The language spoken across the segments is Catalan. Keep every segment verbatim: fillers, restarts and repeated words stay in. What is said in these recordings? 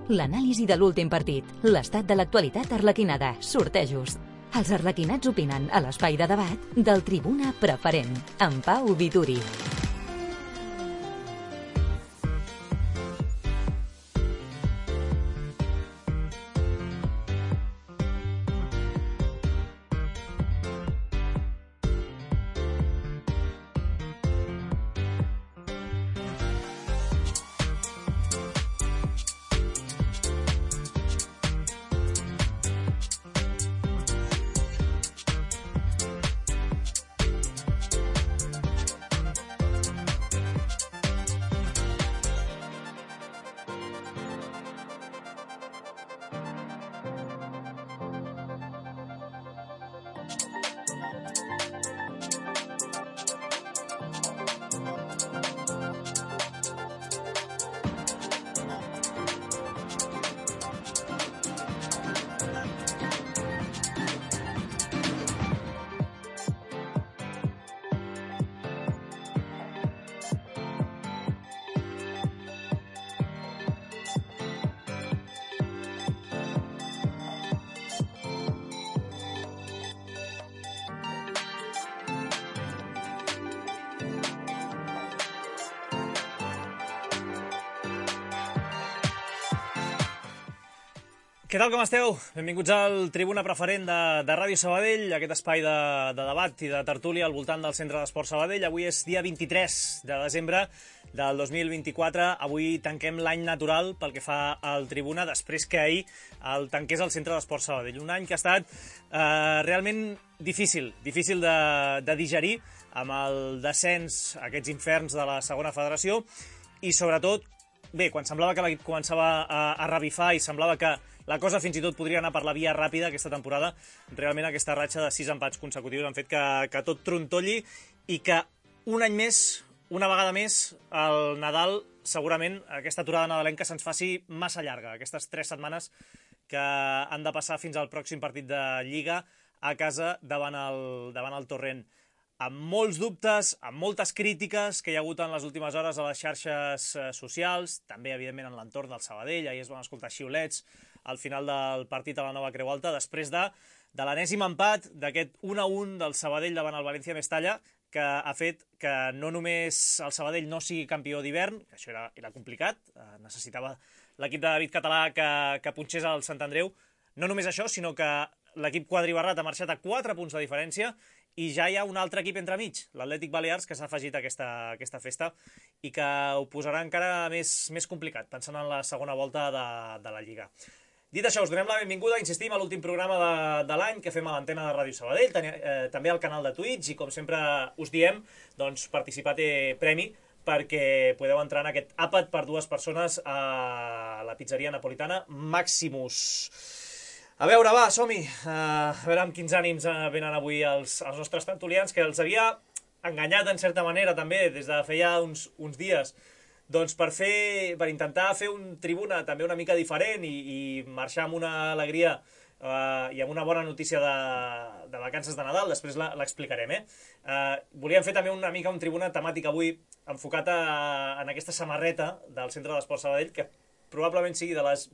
L'anàlisi de l'últim partit, l'estat de l'actualitat arlequinada, sortejos. Els arlequinats opinen a l'espai de debat del Tribuna Preferent, amb Pau Vituri. Què tal, com esteu? Benvinguts al Tribuna Preferent de, de Ràdio Sabadell, aquest espai de, de debat i de tertúlia al voltant del Centre d'Esport Sabadell. Avui és dia vint-i-tres de desembre del dos mil vint-i-quatre. Avui tanquem l'any natural pel que fa al Tribuna, després que ahir el tanqués el Centre d'Esport Sabadell. Un any que ha estat eh, realment difícil, difícil de, de digerir, amb el descens, aquests inferns de la segona federació, i sobretot, bé, quan semblava que l'equip començava a, a revifar i semblava que la cosa fins i tot podria anar per la via ràpida aquesta temporada, realment aquesta ratxa de sis empats consecutius han fet que, que tot trontolli i que un any més, una vegada més, el Nadal, segurament, aquesta aturada nadalenca se'ns faci massa llarga, aquestes tres setmanes que han de passar fins al pròxim partit de Lliga a casa davant el, davant el Torrent. Amb molts dubtes, amb moltes crítiques que hi ha hagut en les últimes hores a les xarxes socials, també, evidentment, en l'entorn del Sabadell. Ahir es van escoltar xiulets al final del partit a la Nova Creu Alta, després de, de l'enèsim empat d'aquest un a un del Sabadell davant el València Mestalla, que ha fet que no només el Sabadell no sigui campió d'hivern, que això era, era complicat, eh, necessitava l'equip de David Català que, que punxés al Sant Andreu, no només això, sinó que l'equip quadribarrat ha marxat a quatre punts de diferència i ja hi ha un altre equip entremig, l'Atlètic Balears, que s'ha afegit a aquesta, aquesta festa i que ho posarà encara més, més complicat, pensant en la segona volta de, de la Lliga. Dit això, us donem la benvinguda, insistim, a l'últim programa de, de l'any que fem a l'antena de Ràdio Sabadell, ten, eh, també al canal de Twitch, i com sempre us diem, doncs participar té premi, perquè podeu entrar en aquest àpat per dues persones a la pizzeria napolitana Maximus. A veure, va, som-hi. Uh, a veure amb quins ànims uh, venen avui els, els nostres tertulians, que els havia enganyat en certa manera també des de feia uns, uns dies, doncs per fer, per intentar fer un Tribuna també una mica diferent i, i marxar amb una alegria uh, i amb una bona notícia de, de vacances de Nadal, després l'explicarem, eh? Uh, volíem fer també una mica un Tribuna temàtic avui enfocat a, en aquesta samarreta del Centre d'Esport Sabadell, que probablement sigui de les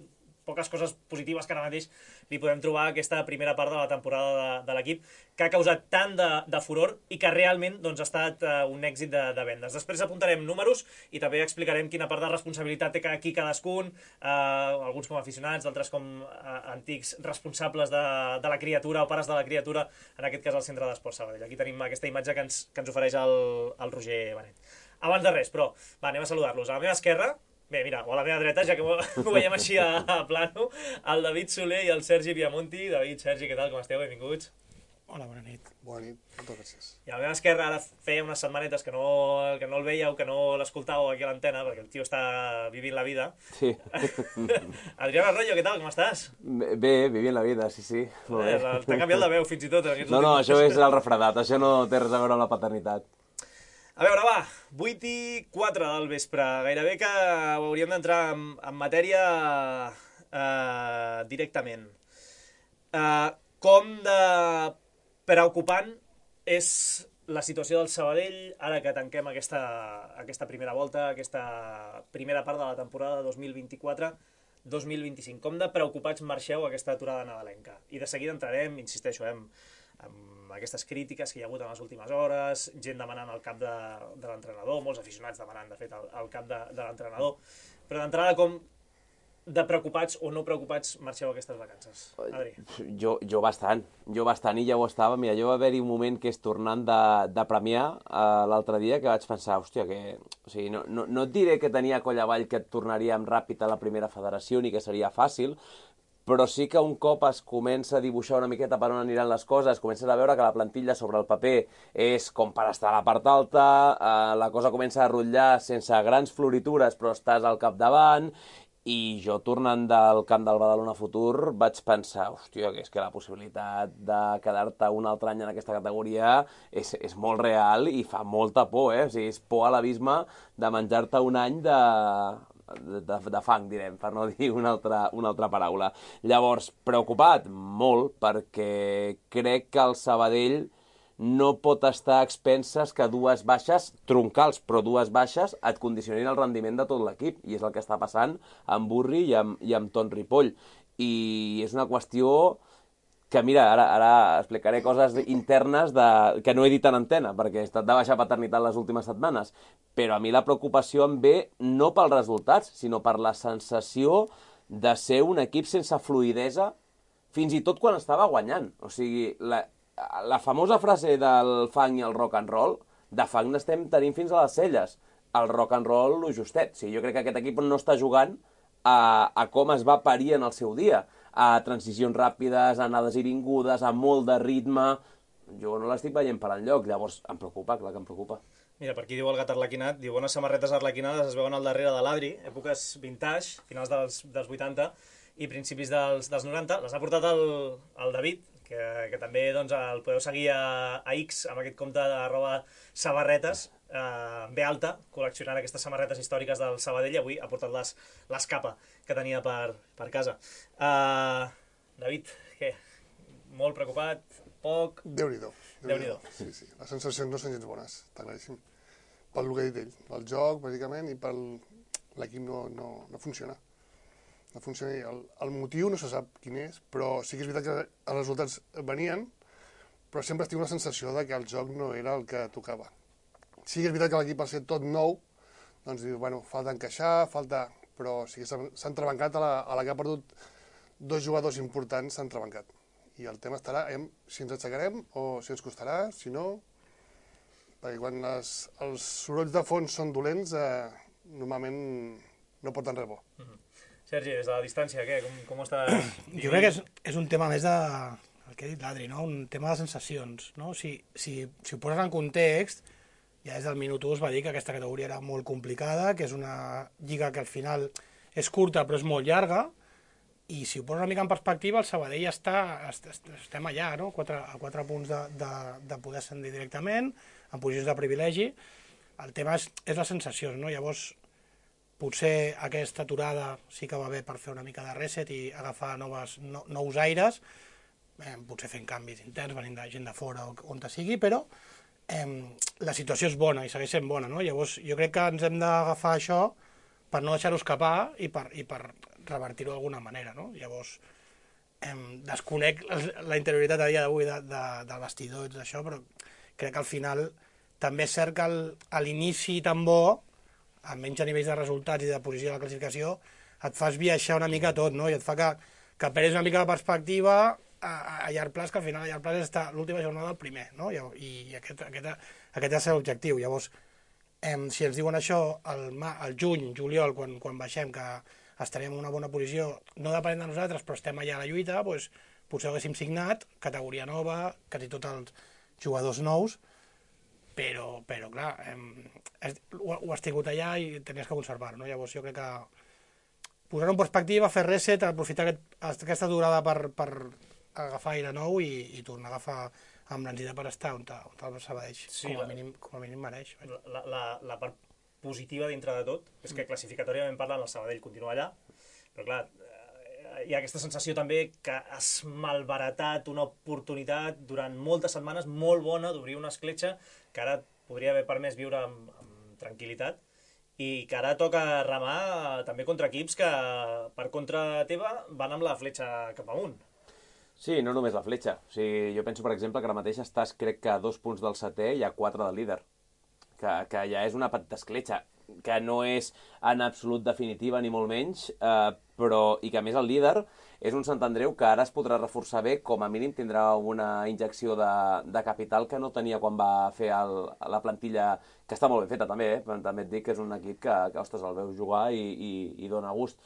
poques coses positives que ara mateix li podem trobar a aquesta primera part de la temporada de, de l'equip, que ha causat tant de, de furor i que realment doncs, ha estat uh, un èxit de, de vendes. Després apuntarem números i també explicarem quina part de responsabilitat té aquí cadascun, uh, alguns com aficionats, d'altres com uh, antics responsables de, de la criatura o pares de la criatura, en aquest cas al Centre d'Esport Sabadell. Aquí tenim aquesta imatge que ens, que ens ofereix el, el Roger Benet. Abans de res, però, va, anem a saludar-los. A la meva esquerra, bé, mira, o a la meva dreta, ja que ho veiem així a, a plano, el David Soler i el Sergi Viamonti. David, Sergi, què tal, com esteu? Benvinguts. Hola, bona nit. Bona nit, moltes gràcies. I a la meva esquerra, ara feia unes setmanetes que no, que no el veieu, que no l'escoltàveu aquí a l'antena, perquè el tio està vivint la vida. Sí. Adrián Arroyo, què tal, com estàs? Bé, vivint la vida, sí, sí. Eh, T'ha canviat la veu, fins i tot. No, no, això és el refredat, això no té res a veure amb la paternitat. A veure, va, vuit i quatre del vespre. Gairebé que hauríem d'entrar en, en matèria eh, directament. Eh, com de preocupant és la situació del Sabadell ara que tanquem aquesta, aquesta primera volta, aquesta primera part de la temporada dos mil vint-i-quatre, dos mil vint-i-cinc. Com de preocupats marxeu aquesta aturada nadalenca? I de seguida entrarem, insisteixo, eh, amb aquestes crítiques que hi ha hagut en les últimes hores, gent demanant el cap de, de l'entrenador, molts aficionats demanant, de fet, el, el cap de, de l'entrenador. Però d'entrada, com de preocupats o no preocupats marxeu aquestes vacances? Adri. Jo, jo bastant, jo bastant, i ja ho estava. Mira, jo va haver-hi un moment que és tornant de, de Premià uh, l'altre dia que vaig pensar, hòstia, que... O sigui, no, no, no et diré que tenia coll avall que et tornaríem ràpid a la primera federació ni que seria fàcil, però sí que un cop es comença a dibuixar una miqueta per on aniran les coses, comences a veure que la plantilla sobre el paper és com per estar a la part alta, uh, la cosa comença a rotllar sense grans floritures, però estàs al capdavant. I jo, tornant del camp del Badalona Futur, vaig pensar, hòstia, que és que la possibilitat de quedar-te un altre any en aquesta categoria és, és molt real i fa molta por, eh? O sigui, és por a l'abisme de menjar-te un any de, de, de fang, direm, per no dir una altra, una altra paraula. Llavors, preocupat? Molt, perquè crec que el Sabadell no pot estar a expenses que dues baixes, troncals, però dues baixes, et condicionin el rendiment de tot l'equip. I és el que està passant amb Burri i amb, i amb Ton Ripoll. I és una qüestió que, mira, ara, ara explicaré coses internes de, que no he dit en antena, perquè he estat de baixa paternitat les últimes setmanes. Però a mi la preocupació em ve no pels resultats, sinó per la sensació de ser un equip sense fluïdesa, fins i tot quan estava guanyant. O sigui, la... La famosa frase del fang i el rock and roll, de fang n'estem tenint fins a les celles. El rock and roll, lo justet. O sigui, jo crec que aquest equip no està jugant a, a com es va parir en el seu dia. A transicions ràpides, a anades i vingudes, a molt de ritme. Jo no l'estic veient per enlloc. Llavors, em preocupa, clar que em preocupa. Mira, per aquí diu el gat arlequinat, diu bones samarretes arlequinades es veuen al darrere de l'Adri, èpoques vintage, finals dels, dels vuitanta i principis dels, dels noranta. Les ha portat el, el David, que, que també doncs, el podeu seguir a, a X amb aquest compte d'arroba samarretes, eh, B alta, col·leccionant aquestes samarretes històriques del Sabadell, i avui ha portat les, l'escapa que tenia per, per casa. Uh, David, què? Molt preocupat? Poc? Déu-n'hi-do. Déu-n'hi-do. Sí, sí. Les sensacions no són gens bones, està claríssim. Pel que ha dit ell, pel joc, bàsicament, i pel l'equip no, no, no funciona. No funciona. El, el motiu no se sap quin és, però sí que és veritat que els resultats venien, però sempre estic una sensació de que el joc no era el que tocava. Sí que és veritat que l'equip al ser tot nou, doncs diu, bueno, falta encaixar, falta... Però sí que s'ha entrebancat a la, a la que ha perdut dos jugadors importants, s'ha entrebancat. I el tema estarà en si ens aixecarem o si ens costarà, si no... Perquè quan les, els sorolls de fons són dolents, eh, normalment no porten res bo. Mm-hmm. Sergi, des de la distància, què? Com, com està... Jo crec que és, és un tema més de... el que ha dit l'Adri, no? Un tema de sensacions, no? Si, si, si ho poses en context, ja des del minut u es va dir que aquesta categoria era molt complicada, que és una lliga que al final és curta però és molt llarga, i si ho poses una mica en perspectiva, el Sabadell està, estem allà, no? Quatre, a quatre punts de, de, de poder ascendir directament, en posicions de privilegi. El tema és, és les sensacions, no? Llavors, potser aquesta aturada sí que va bé per fer una mica de reset i agafar noves, no, nous aires, eh, potser fent canvis interns, venint de gent de fora o on te sigui, però eh, la situació és bona i segueix sent bona, no? Llavors jo crec que ens hem d'agafar això per no deixar-ho escapar i per, i per revertir-ho d'alguna manera, no? Llavors eh, desconec la interioritat a dia d'avui de, de, del vestidor i tot això, però crec que al final també és cert que el, a l'inici tan bo, amb menys a nivells de resultats i de posició de la classificació, et fas viatjar una mica tot, no? I et fa que, que perdis una mica la perspectiva a, a llarg plaç, que al final a llarg plaç està l'última jornada del primer, no? I, i aquest, aquest, aquest ha de ser l'objectiu. Llavors, eh, si ens diuen això al, al juny, juliol, quan, quan baixem, que estarem en una bona posició, no depenent de nosaltres, però estem allà a la lluita, doncs, potser haguéssim signat, categoria nova, quasi tots els jugadors nous, però, però clar, eh, ho, ho has tingut allà i tenies que conservar-ho, no? Llavors jo crec que posar-ho en perspectiva, fer reset, aprofitar aquest, aquesta durada per, per agafar aire nou i, i tornar a agafar amb l'encitat per estar on, on el Sabadell, sí, com, a mínim, com a mínim mereix. La, la, la part positiva dintre de tot és que classificatòriament parlant el Sabadell continua allà, però clar, hi ha aquesta sensació també que has malbaratat una oportunitat durant moltes setmanes molt bona d'obrir una escletxa que ara podria haver permès viure amb, amb tranquil·litat i que ara toca remar també contra equips que per contra teva van amb la fletxa cap amunt. Sí, no només la fletxa. O sigui, jo penso, per exemple, que ara mateix estàs, crec que a dos punts del setè i a quatre del líder. Que, que ja és una petita escletxa, que no és en absolut definitiva ni molt menys, eh, però, i que a més el líder és un Sant Andreu que ara es podrà reforçar bé, com a mínim tindrà una injecció de, de capital que no tenia quan va fer el, la plantilla, que està molt ben feta també, eh? Però també et dic que és un equip que, que ostres, el veus jugar i, i, i dona gust.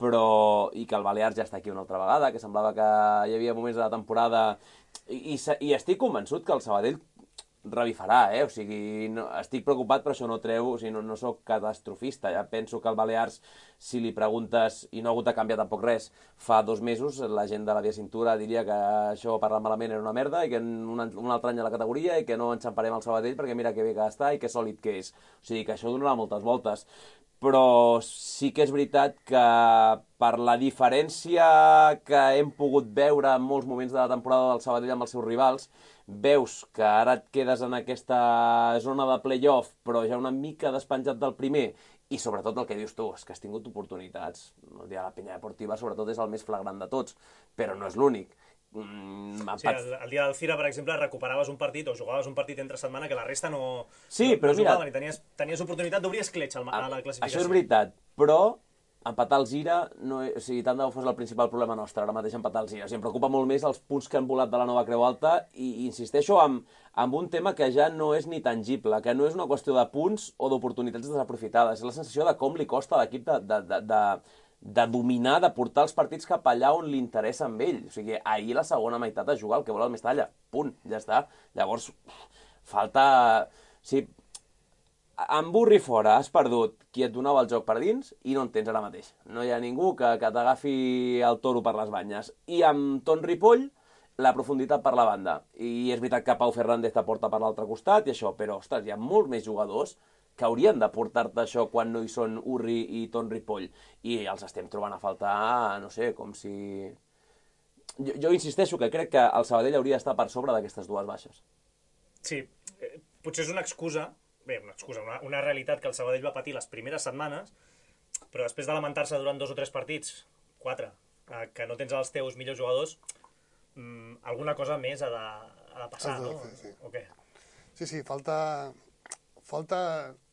Però, i que el Balears ja està aquí una altra vegada, que semblava que hi havia moments de la temporada, i, i, i estic convençut que el Sabadell revifarà, eh? O sigui, no, estic preocupat, però això no treu, o sigui, no, no sóc catastrofista, ja penso que el Balears, si li preguntes, i no ha hagut de canviar tampoc res, fa dos mesos la gent de la Via Cintura diria que això parlant malament era una merda, i que un, un altre any a la categoria, i que no enxamparem el Sabadell perquè mira que bé que està i que sòlid que és. O sigui, que això donarà moltes voltes. Però sí que és veritat que per la diferència que hem pogut veure en molts moments de la temporada del Sabadell amb els seus rivals, veus que ara et quedes en aquesta zona de play-off, però ja una mica despenjat del primer, i sobretot el que dius tu, és que has tingut oportunitats. El dia de la Penya Deportiva sobretot és el més flagrant de tots, però no és l'únic. Mm, sí, el, el dia del Fira, per exemple, recuperaves un partit o jugaves un partit entre setmana que la resta no, sí, no, però no mira, jugaven i tenies, tenies oportunitat d'obrir escletxa a la classificació. Això és veritat, però empatar el Gira, no, o sigui, tant de bo fos el principal problema nostre, ara mateix empatar el Gira. O sigui, em preocupa molt més els punts que han volat de la nova Creu Alta i, i insisteixo amb, amb un tema que ja no és ni tangible, que no és una qüestió de punts o d'oportunitats desaprofitades, és la sensació de com li costa a l'equip de, de, de, de, de dominar, de portar els partits cap allà on li interessa amb ell. O sigui, ahir la segona meitat a jugar el que vol el Mestalla. Punt, ja està. Llavors, falta... O sigui, amb Burri fora has perdut qui et donava el joc per dins i no en tens ara mateix. No hi ha ningú que, que t'agafi el toro per les banyes. I amb Ton Ripoll, la profunditat per la banda. I és veritat que Pau Fernández t'aporta per l'altre costat i això, però, ostres, hi ha molts més jugadors que haurien de portar-te això quan no hi són Urri i Ton Ripoll. I els estem trobant a faltar, no sé, com si... Jo, jo insisteixo que crec que el Sabadell hauria d'estar per sobre d'aquestes dues baixes. Sí, eh, potser és una excusa, bé, una excusa, una, una realitat que el Sabadell va patir les primeres setmanes, però després de lamentar-se durant dos o tres partits, quatre, eh, que no tens els teus millors jugadors, mmm, alguna cosa més ha de, ha de passar, no? Sí, sí. O què? Sí, sí, falta... falta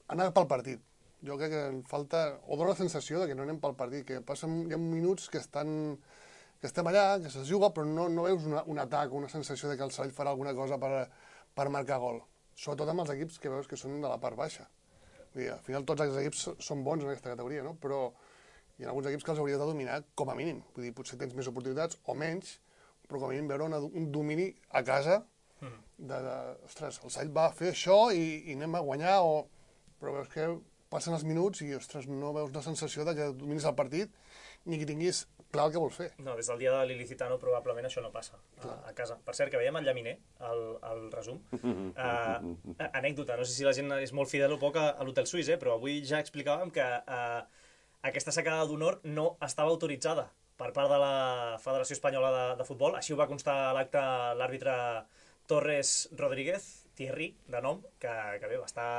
anar pel partit. Jo crec que falta, o dona la sensació de que no anem pel partit, que passen, hi ha minuts que estan, que estem allà, que se'ls juga, però no, no veus una, un atac, una sensació de que el Sabadell farà alguna cosa per, per marcar gol. Sobretot amb els equips que veus que són de la part baixa. Vull dir, al final tots els equips són bons en aquesta categoria, no? Però hi ha alguns equips que els hauries de dominar com a mínim. Vull dir, potser tens més oportunitats o menys, però com a mínim veure una, un domini a casa de, de, ostres, el Sabadell va fer això i, i anem a guanyar, o... però veus que passen els minuts i, ostres, no veus la sensació de que dominis el partit ni que tinguis clar el que vols fer. No, des del dia de l'Ilicitano probablement això no passa a, a casa. Per cert, que veiem el Llaminer, el, el resum. Uh, anècdota, no sé si la gent és molt fidel o poc a, a l'Hotel Suís, eh? Però avui ja explicàvem que uh, aquesta sacada d'honor no estava autoritzada per part de la Federació Espanyola de, de Futbol. Així ho va constar a l'acte l'àrbitre Torres Rodríguez, Thierry, de nom, que, que bé, va estar...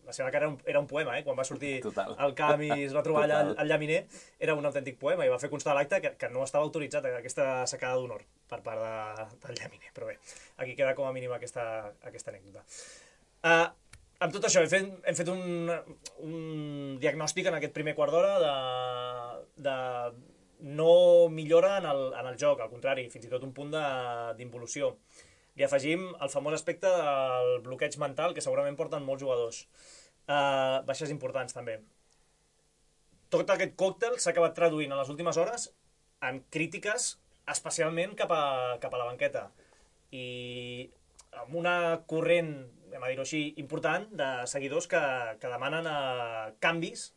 La seva cara era un, era un poema, eh? Quan va sortir Total. al camp i es va trobar allà al, al Llaminer, era un autèntic poema i va fer constar a l'acte que, que no estava autoritzat aquesta sacada d'honor per part de, del Llaminer. Però bé, aquí queda com a mínim aquesta, aquesta anècdota. Uh, amb tot això, hem fet, hem fet un, un diagnòstic en aquest primer quart d'hora de, de no millora en el, en el joc, al contrari, fins i tot un punt d'involució. Li afegim el famós aspecte del bloqueig mental, que segurament porten molts jugadors. Uh, baixes importants, també. Tot aquest còctel s'ha acabat traduint en les últimes hores en crítiques, especialment cap a, cap a la banqueta. I amb una corrent, anem a dir-ho així, important, de seguidors que, que demanen uh, canvis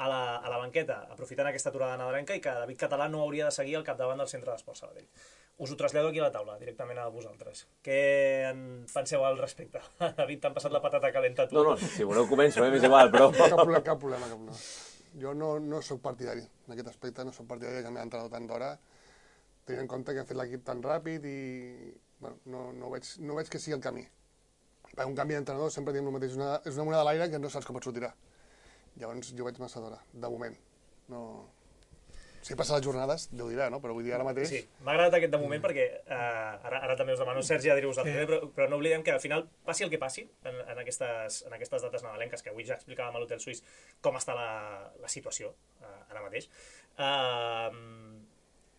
a la, a la banqueta, aprofitant aquesta aturada nadalenca, i que David Català no hauria de seguir al capdavant del Centre d'Esports Sabadell. Us ho trasllado aquí a la taula, directament a vosaltres. Què en penseu al respecte? David, t'han passat la patata calenta tu? No, no, si voleu començo, eh, m'és igual, però... Cap problema, cap problema. Cap problema. Jo no, no soc partidari, en aquest aspecte no soc partidari que m'he entrenat tant d'hora, tenint en compte que hem fet l'equip tan ràpid i bueno, no, no, veig, no veig que sigui el camí. Per un canvi d'entrenador sempre diem el mateix, una, és una moneda de l'aire que no saps com et sortirà. Llavors jo veig massa d'hora, de moment. No... Si passa les jornades, Déu dirà, no? Però vull dir, ara mateix... Sí, m'ha agradat aquest de moment perquè uh, ara, ara també us demano, Sergi, adherir-vos al primer, però, però no oblidem que al final, passi el que passi en, en, aquestes, en aquestes dates nadalenques, que avui ja explicàvem a l'Hotel Suís com està la, la situació uh, ara mateix. Uh,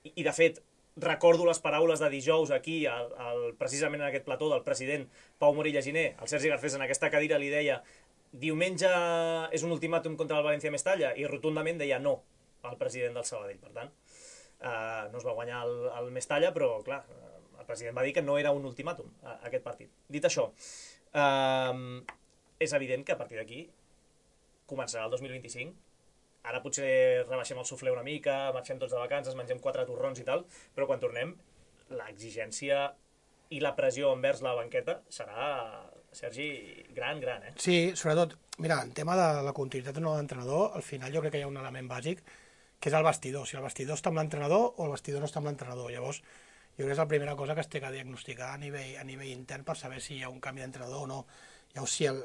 i, I, de fet, recordo les paraules de dijous aquí, al, al, precisament en aquest plató del president Pau Morilla Giner, el Sergi Garcés en aquesta cadira li deia diumenge és un ultimàtum contra el València Mestalla, i rotundament deia no el president del Sabadell. Per tant, eh, no es va guanyar el, el Mestalla, però, clar, el president va dir que no era un ultimàtum, a, aquest partit. Dit això, eh, és evident que a partir d'aquí començarà el dos mil vint-i-cinc. Ara potser rebaixem el suflé una mica, marxem tots de vacances, mengem quatre torrons i tal, però quan tornem, l'exigència i la pressió envers la banqueta serà, Sergi, gran, gran, eh? Sí, sobretot, mira, en tema de la continuïtat de nou entrenador, al final jo crec que hi ha un element bàsic, que és el vestidor. Si el vestidor està amb l'entrenador o el vestidor no està amb l'entrenador. Llavors, jo crec que és la primera cosa que es té que diagnosticar a nivell, a nivell intern per saber si hi ha un canvi d'entrenador o no. Llavors, si el...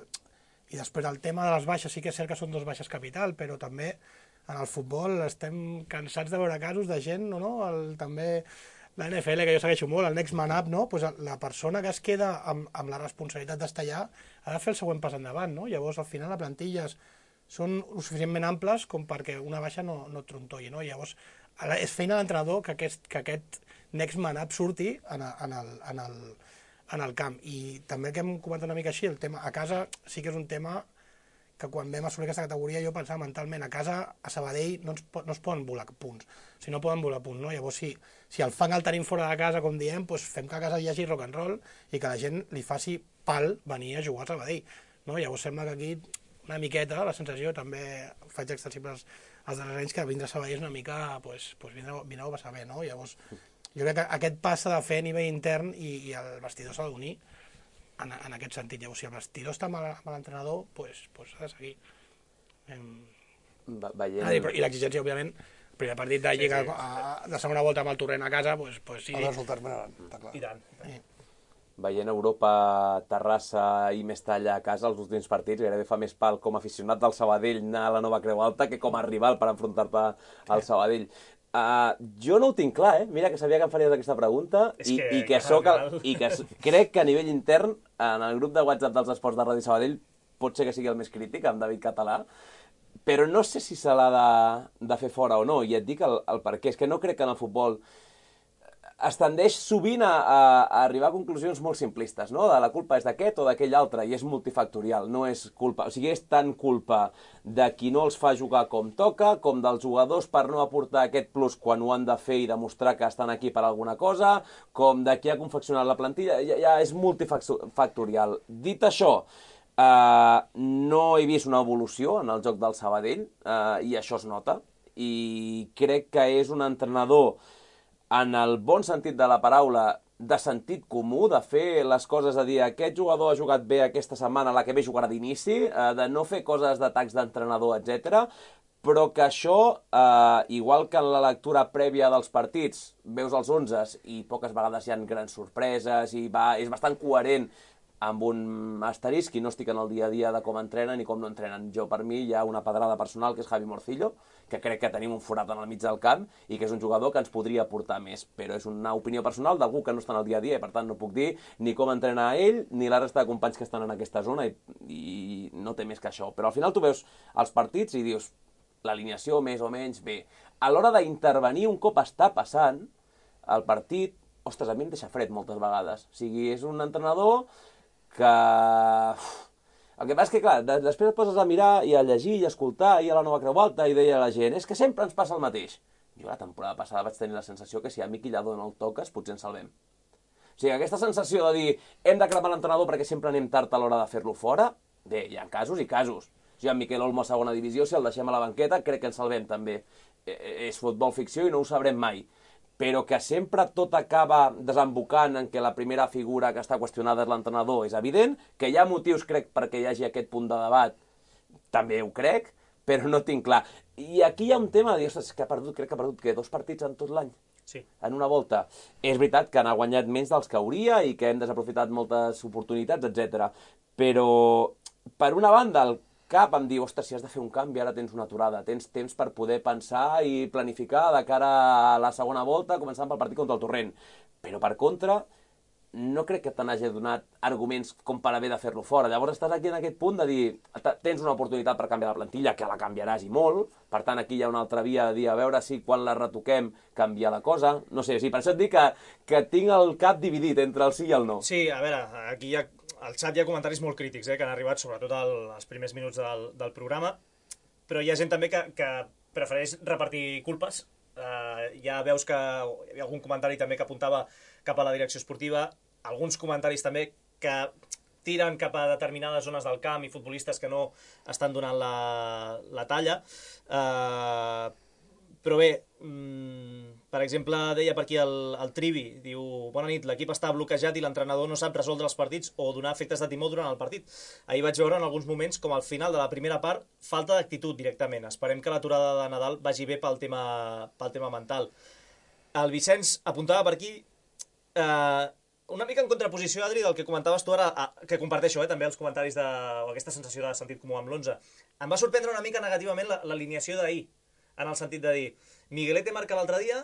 I després el tema de les baixes, sí que és cert que són dos baixes capital, però també en el futbol estem cansats de veure casos de gent, no? El, també la N F L, que jo segueixo molt, el next man up, no? Pues la persona que es queda amb, amb la responsabilitat d'estar allà ha de fer el següent pas endavant, no? Llavors, al final, les plantilles són lo suficientment amples com perquè una baixa no, no et trontolli, no? Llavors, és feina de l'entrenador que aquest, que aquest next man up surti en, en, el, en, el, en el camp. I també que hem comentat una mica així, el tema a casa sí que és un tema que quan vam assolir aquesta categoria jo pensava mentalment, a casa, a Sabadell, no, ens, no es poden volar punts, o sigui, no poden volar punts, no? Llavors, si, si el fang el tenim fora de casa, com diem, doncs fem que a casa hi hagi rock and roll i que la gent li faci pal venir a jugar a Sabadell, no? Llavors sembla que aquí una miqueta, la sensació, també faig extensibles als darrers anys, que vindre a Sabadell és una mica, doncs, doncs vindre, vindre a passar bé, no? Llavors, jo crec que aquest pas s'ha de fer a nivell intern i, i el vestidor s'ha d'unir en, en aquest sentit. Llavors, si el vestidor està amb l'entrenador, doncs, doncs s'ha de seguir. Veient... I l'exigència, òbviament, el primer partit de Lliga, sí, sí. A, de segona volta amb el Torrent a casa, doncs, doncs sí. Els resultats m'agraden, està clar. I tant. Sí. Veient Europa, Terrassa i Mestalla a casa, els últims partits, gairebé fa més pal com a aficionat del Sabadell anar a la nova Creu Alta que com a rival per enfrontar-te al Sabadell. Uh, jo no ho tinc clar, eh? Mira que sabia que em faries aquesta pregunta i que, i, que soc el, i que crec que a nivell intern, en el grup de WhatsApp dels esports de Ràdio Sabadell, pot ser que sigui el més crític, amb David Català, però no sé si se l'ha de, de fer fora o no, i et dic el, el per què. És que no crec que en el futbol es tendeix sovint a, a, a arribar a conclusions molt simplistes, no? De la culpa és d'aquest o d'aquell altre, i és multifactorial, no és culpa. O sigui, és tant culpa de qui no els fa jugar com toca, com dels jugadors per no aportar aquest plus quan ho han de fer i demostrar que estan aquí per alguna cosa, com de qui ha confeccionat la plantilla, ja, ja és multifactorial. Dit això, Uh, no he vist una evolució en el joc del Sabadell, uh, i això es nota, i crec que és un entrenador en el bon sentit de la paraula, de sentit comú, de fer les coses, de dir aquest jugador ha jugat bé aquesta setmana, la que ve jugarà d'inici, uh, de no fer coses d'atacs d'entrenador, etcètera, però que això, uh, igual que en la lectura prèvia dels partits, veus els onzes i poques vegades hi ha grans sorpreses i va, és bastant coherent amb un asterisc, i no estic en el dia a dia de com entrenen i com no entrenen. Jo, per mi, hi ha una pedrada personal, que és Javi Morcillo, que crec que tenim un forat en el mig del camp i que és un jugador que ens podria aportar més, però és una opinió personal d'algú que no està en el dia a dia, i per tant no puc dir ni com entrena ell ni la resta de companys que estan en aquesta zona, i, i no té més que això. Però al final tu veus els partits i dius l'alineació més o menys bé. A l'hora d'intervenir un cop està passant el partit, ostres, a mi em deixa fred moltes vegades. O sigui, és un entrenador que... El que passa és que, clar, després et poses a mirar i a llegir i a escoltar i a la nova Creu Alta i deia la gent, és que sempre ens passa el mateix. Jo la temporada passada vaig tenir la sensació que si a Miqui Lladó no el toques, potser ens salvem. O sigui, aquesta sensació de dir hem de cremar l'entrenador perquè sempre anem tard a l'hora de fer-lo fora, bé, hi ha casos i casos. O sigui, en Miquel Olmo a segona divisió, si el deixem a la banqueta, crec que ens salvem també. És futbol ficció i no ho sabrem mai. Però que sempre tot acaba desembocant en que la primera figura que està qüestionada és l'entrenador, és evident, que hi ha motius, crec, perquè hi hagi aquest punt de debat, també ho crec, però no tinc clar. I aquí hi ha un tema de dir, ostres, que ha perdut, crec que ha perdut, que dos partits en tot l'any? Sí. En una volta. És veritat que n'ha guanyat menys dels que hauria i que hem desaprofitat moltes oportunitats, etcètera. Però, per una banda, el cap em diu, ostres, si has de fer un canvi, ara tens una aturada, tens temps per poder pensar i planificar de cara a la segona volta, començant pel partit contra el Torrent. Però, per contra, no crec que te n'hagi donat arguments com per haver de fer-lo fora. Llavors estàs aquí en aquest punt de dir, tens una oportunitat per canviar la plantilla, que la canviaràs i molt, per tant aquí hi ha una altra via de dir, a veure si quan la retoquem canvia la cosa, no sé, sí, per això et dic que, que tinc el cap dividit entre el sí i el no. Sí, a veure, aquí hi ha, al xat hi ha comentaris molt crítics, eh, que han arribat sobretot al, als primers minuts del, del programa, però hi ha gent també que, que prefereix repartir culpes. Uh, ja veus que hi ha algun comentari també que apuntava cap a la direcció esportiva, alguns comentaris també que tiren cap a determinades zones del camp i futbolistes que no estan donant la, la talla. Uh, però bé, mm, per exemple, deia per aquí el, el Trivi, diu, bona nit, l'equip està bloquejat i l'entrenador no sap resoldre els partits o donar efectes de timó durant el partit. Ahir vaig veure en alguns moments com al final de la primera part falta d'actitud directament. Esperem que l'aturada de Nadal vagi bé pel tema, pel tema mental. El Vicenç apuntava per aquí eh, una mica en contraposició, Adri, del que comentaves tu ara, que comparteixo eh, també els comentaris de, o aquesta sensació de sentit comú amb l'onze. Em va sorprendre una mica negativament l'alineació d'ahir, en el sentit de dir, Miguelete marca l'altre dia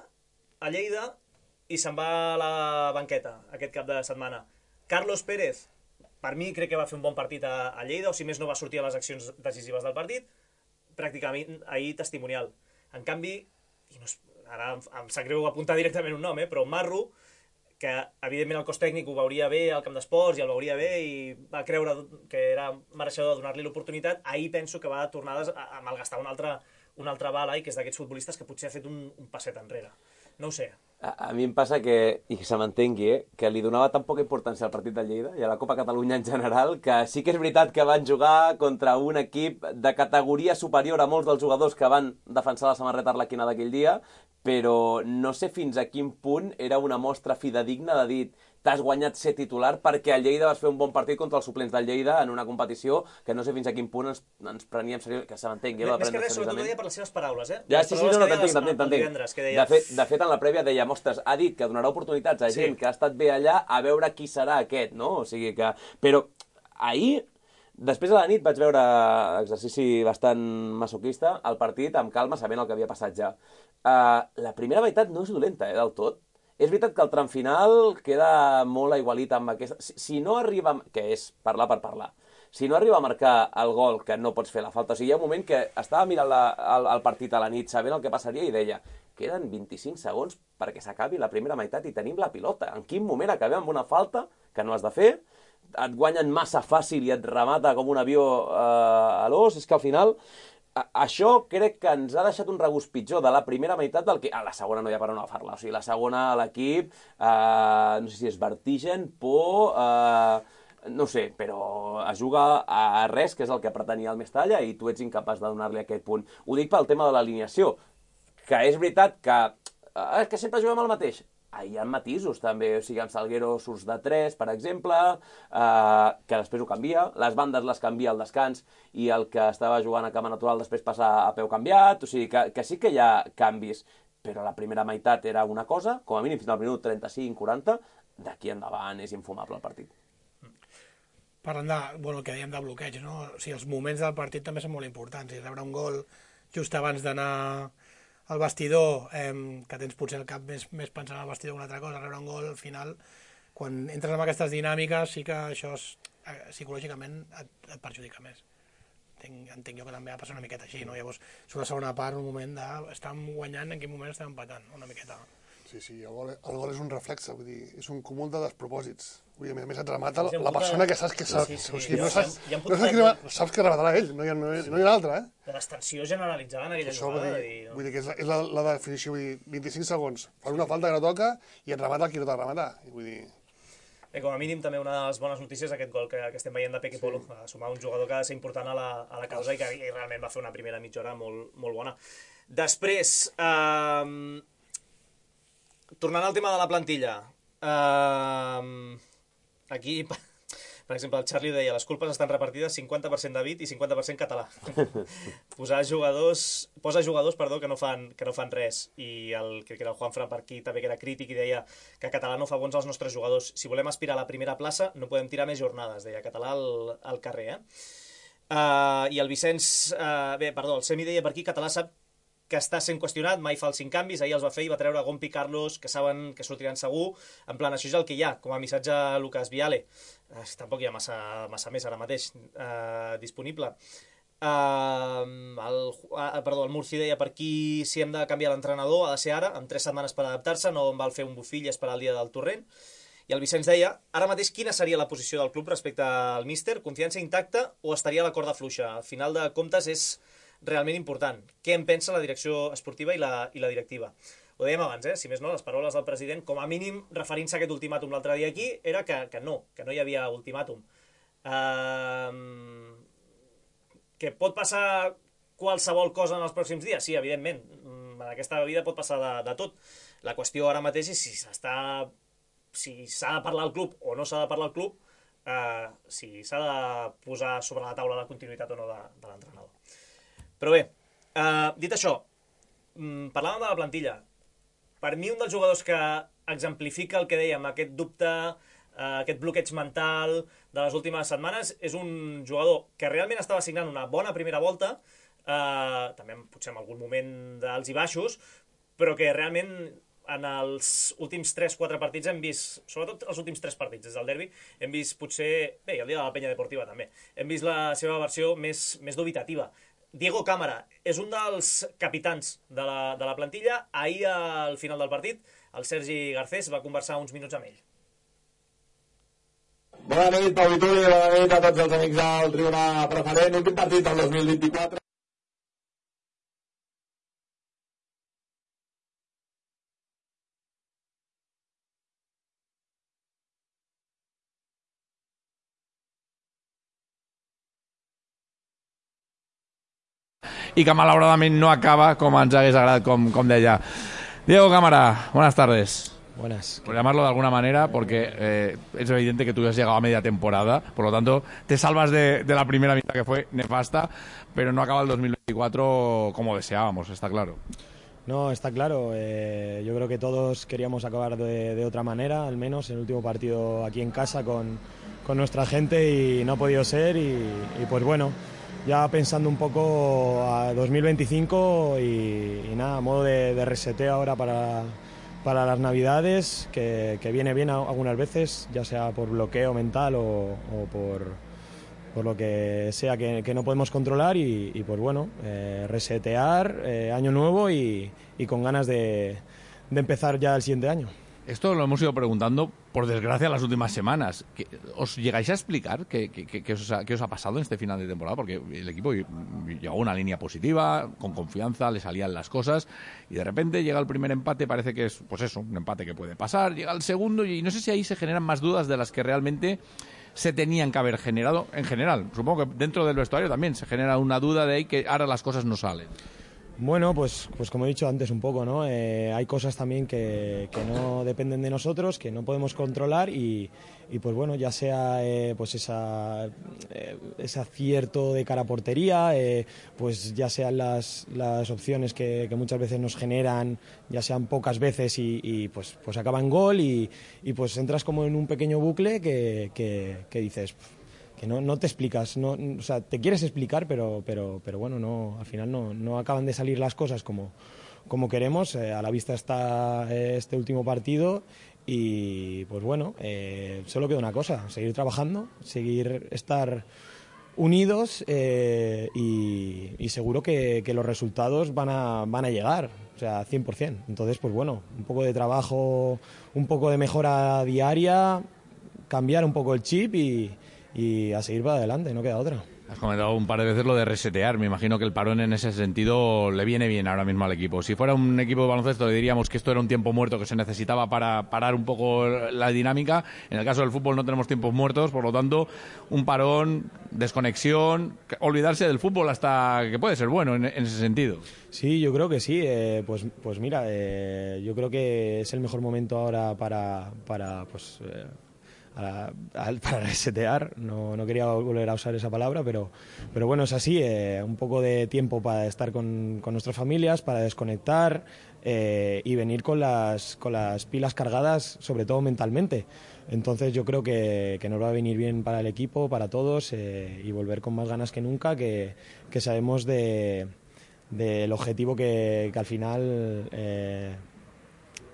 a Lleida i se'n va a la banqueta aquest cap de setmana. Carlos Pérez, per mi crec que va fer un bon partit a, a Lleida, o si més no va sortir a les accions decisives del partit, pràcticament ahir testimonial. En canvi, i no és, ara em, em sap greu apuntar directament un nom, eh, però Marro, que evidentment el cos tècnic ho veuria bé al camp d'esports i el veuria bé i va creure que era mereixedor de donar-li l'oportunitat, ahir penso que va tornar a, a malgastar una altra, una altra bala i que és d'aquests futbolistes que potser ha fet un, un passet enrere. No ho sé. A, a mi em passa que, i que se m'entengui, eh, que li donava tan poca importància al partit de Lleida i a la Copa Catalunya en general, que sí que és veritat que van jugar contra un equip de categoria superior a molts dels jugadors que van defensar la samarreta arlequina d'aquell dia, però no sé fins a quin punt era una mostra fidedigna de dir t'has guanyat ser titular perquè a Lleida vas fer un bon partit contra els suplents del Lleida en una competició que no sé fins a quin punt ens, ens preníem seriosament, que se m'entengui. Més que res, sobretot ho deia per les seves paraules, eh? Ja, sí, sí, no, no, t'entenc, t'entenc, t'entenc. Deia... De, fet, de fet, en la prèvia deia, ostres, ha dit que donarà oportunitats a gent sí. que ha estat bé allà a veure qui serà aquest, no? O sigui que... Però ahir, després de la nit, vaig veure exercici bastant masoquista, el partit amb calma, sabent el que havia passat ja. Uh, la primera meitat no és dolenta, eh, del tot. És veritat que el tram final queda molt aigualit amb aquesta... Si, si no arriba... Que és parlar per parlar. Si no arriba a marcar el gol, que no pots fer la falta... O sigui, hi ha un moment que estava mirant la, el, el partit a la nit, sabent el que passaria, i deia queden vint-i-cinc segons perquè s'acabi la primera meitat i tenim la pilota. En quin moment acabem amb una falta que no has de fer? Et guanyen massa fàcil i et remata com un avió eh, a l'os? És que al final... Això crec que ens ha deixat un regust pitjor de la primera meitat del que... A la segona no hi ha per on agafar-la. O sigui, la segona a l'equip, eh, no sé si és vertigen, por, eh, no sé, però es juga a res, que és el que pretenia el Mestalla, i tu ets incapaç de donar-li aquest punt. Ho dic pel tema de l'alineació, que és veritat que, eh, que sempre juguem el mateix. Hi ha matisos també, o sigui, amb Salguero surts de tres, per exemple, eh, que després ho canvia, les bandes les canvia al descans i el que estava jugant a cama natural després passa a peu canviat, o sigui, que, que sí que hi ha canvis, però la primera meitat era una cosa, com a mínim fins al minut trenta-cinc quaranta, d'aquí endavant és infumable el partit. Parlant de, bueno, el que dèiem de bloqueig, no? O sigui, els moments del partit també són molt importants, i rebre un gol just abans d'anar al vestidor, eh, que tens potser el cap més, més pensant al vestidor que una altra cosa, rebre un gol, al final, quan entres en aquestes dinàmiques, sí que això és, eh, psicològicament et, et perjudica més. Entenc, entenc jo que també va passar una miqueta així, no? Llavors, sobre la segona part, un moment de... Estàvem guanyant, en quin moment estàvem empatant, una miqueta. Sí, sí, el gol, el gol és un reflexe, vull dir, és un cúmul de despropòsits. Vull dir, a més et remata la, la persona que saps que saps, sí, sí, o sigui, no saps, ja, ja no saps, que, saps que rematarà ell, no hi ha, no hi ha, no hi ha altre, eh? De l'extensió generalitzada en aquella això, jugada. Vull dir, i... vull dir que és, la, és la, la definició, vull dir, vint-i-cinc segons, fan una falta que no toca i et remata el qui no t'ha de rematar, vull dir... Bé, com a mínim també una de les bones notícies aquest gol que, que estem veient de Peque Polo, sí. A sumar un jugador que ha de ser important a la, a la causa i que i realment va fer una primera mitja hora molt, molt bona. Després, eh, tornant al tema de la plantilla, eh, aquí, per exemple, el Charlie deia les culpes estan repartides cinquanta per cent David i cinquanta per cent català. Posar jugadors, posa jugadors perdó, que, no fan, que no fan res. I el, crec que era el Juanfran per aquí també que era crític i deia que català no fa bons als nostres jugadors. Si volem aspirar a la primera plaça no podem tirar més jornades, deia català al, al carrer. Eh? Uh, I el Vicenç, uh, bé, perdó, el Semi deia per aquí, Català sap que està sent qüestionat, mai fa els cinc canvis, ahir els va fer i va treure Gompi i Carlos, que saben que sortiran segur, en plan, això és el que hi ha, com a missatge a Lucas Viale. Uh, tampoc hi ha massa, massa més ara mateix uh, disponible. Uh, el, uh, perdó, el Murci deia per aquí si hem de canviar l'entrenador, ha de ser ara, amb tres setmanes per adaptar-se, no en val fer un bufill, esperar el dia del torrent. I el Vicenç deia, ara mateix quina seria la posició del club respecte al míster? Confiança intacta o estaria a la corda fluixa? Al final de comptes és realment important. Què en pensa la direcció esportiva i la, i la directiva? Ho dèiem abans, eh? Si més no, les paraules del president, com a mínim, referint-se a aquest ultimàtum l'altre dia aquí, era que, que no, que no hi havia ultimàtum. Uh, que pot passar qualsevol cosa en els pròxims dies? Sí, evidentment. En aquesta vida pot passar de, de tot. La qüestió ara mateix és si s'està... si s'ha de parlar al club o no s'ha de parlar al club, eh, si s'ha de posar sobre la taula la continuïtat o no de, de l'entrenador. Però bé, eh, dit això, parlàvem de la plantilla. Per mi un dels jugadors que exemplifica el que dèiem, aquest dubte, eh, aquest bloqueig mental de les últimes setmanes, és un jugador que realment estava signant una bona primera volta, eh, també potser en algun moment d'alts i baixos, però que realment en els últims tres quatre partits hem vist, sobretot els últims tres partits des del derbi, hem vist potser, bé, el dia de la penya deportiva també, hem vist la seva versió més, més dubitativa. Diego Cámara és un dels capitans de la, de la plantilla. Ahir, al final del partit, el Sergi Garcés va conversar uns minuts amb ell. Bona nit, Pau Vituli, bona nit a tots els amics del Tribuna Preferent. Últim partit del dos mil vint-i-quatre. Y que malauradament no acaba como ens hagués agradat, com, com deia. Diego Cámara, buenas tardes. Buenas. Por llamarlo de alguna manera, porque eh, es evidente que tú has llegado a media temporada, por lo tanto te salvas de, de la primera mitad que fue nefasta, pero no acaba el dos mil veinticuatro como deseábamos, está claro. No, está claro. Eh, yo creo que todos queríamos acabar de, de otra manera, al menos en el último partido aquí en casa con, con nuestra gente, y no ha podido ser, y, y pues bueno, ya pensando un poco a dos mil veinticinco y, y nada, a modo de, de reseteo ahora para, para las Navidades, que, que viene bien algunas veces, ya sea por bloqueo mental o, o por, por lo que sea que, que no podemos controlar, y, y pues bueno, eh, resetear, eh, año nuevo y, y con ganas de, de empezar ya el siguiente año. Esto lo hemos ido preguntando, por desgracia, las últimas semanas. ¿Os llegáis a explicar qué, qué, qué, qué, os ha, qué os ha pasado en este final de temporada? Porque el equipo llegó a una línea positiva, con confianza, le salían las cosas, y de repente llega el primer empate, parece que es, pues eso, un empate que puede pasar, llega el segundo, y no sé si ahí se generan más dudas de las que realmente se tenían que haber generado en general. Supongo que dentro del vestuario también se genera una duda de ahí que ahora las cosas no salen. Bueno, pues, pues como he dicho antes un poco, ¿no? Eh, hay cosas también que, que no dependen de nosotros, que no podemos controlar, y, y pues bueno, ya sea eh, pues esa, eh, ese acierto de cara a portería, eh, pues ya sean las, las opciones que, que muchas veces nos generan, ya sean pocas veces y, y pues, pues acaban gol, y, y pues entras como en un pequeño bucle que, que, que dices... que no, no te explicas, no, o sea, te quieres explicar, pero, pero, pero bueno, no, al final no, no acaban de salir las cosas como, como queremos. Eh, a la vista está este último partido, y pues bueno, eh, solo queda una cosa: seguir trabajando, seguir estar unidos, eh, y, y seguro que, que los resultados van a, van a llegar, o sea, cien por cien. Entonces, pues bueno, un poco de trabajo, un poco de mejora diaria, cambiar un poco el chip y y a seguir para adelante, no queda otra. Has comentado un par de veces lo de resetear. Me imagino que el parón en ese sentido le viene bien ahora mismo al equipo. Si fuera un equipo de baloncesto, le diríamos que esto era un tiempo muerto que se necesitaba para parar un poco la dinámica. En el caso del fútbol no tenemos tiempos muertos, por lo tanto, un parón, desconexión, olvidarse del fútbol hasta que puede ser bueno en, en ese sentido. Sí, yo creo que sí. Eh, pues, pues mira, eh, yo creo que es el mejor momento ahora para, para pues... Eh, a, a, para resetear, no, no quería volver a usar esa palabra, pero, pero bueno, es así, eh, un poco de tiempo para estar con, con nuestras familias, para desconectar eh, y venir con las, con las pilas cargadas, sobre todo mentalmente. Entonces yo creo que, que nos va a venir bien para el equipo, para todos, eh, y volver con más ganas que nunca, que, que sabemos de, del objetivo que, que al final eh,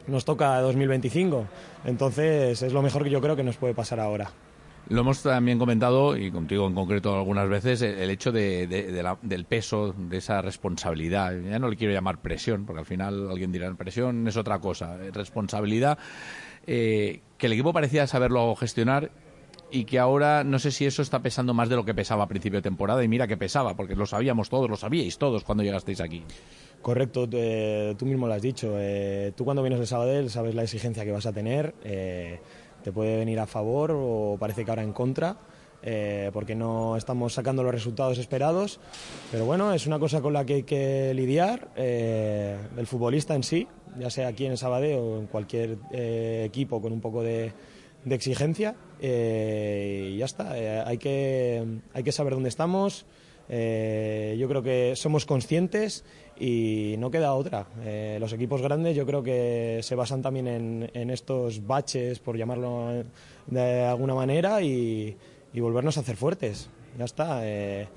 nos toca dos mil veinticinco. Entonces es lo mejor que yo creo que nos puede pasar ahora. Lo hemos también comentado, y contigo en concreto algunas veces, el hecho de, de, de la, del peso, de esa responsabilidad. Ya no le quiero llamar presión, porque al final alguien dirá presión es otra cosa. Responsabilidad, eh, que el equipo parecía saberlo gestionar y que ahora no sé si eso está pesando más de lo que pesaba a principio de temporada. Y mira que pesaba, porque lo sabíamos todos, lo sabíais todos cuando llegasteis aquí. Correcto, eh, tú mismo lo has dicho. Eh, tú cuando vienes de Sabadell sabes la exigencia que vas a tener. Eh, te puede venir a favor o parece que ahora en contra, eh, porque no estamos sacando los resultados esperados. Pero bueno, es una cosa con la que hay que lidiar. Eh, el futbolista en sí, ya sea aquí en Sabadell o en cualquier eh, equipo con un poco de, de exigencia. Eh, y ya está, eh, hay que, hay que saber dónde estamos. Eh, yo creo que somos conscientes y no queda otra. Eh, los equipos grandes yo creo que se basan también en, en estos baches, por llamarlo de alguna manera, y, y volvernos a hacer fuertes. Ya está, eh,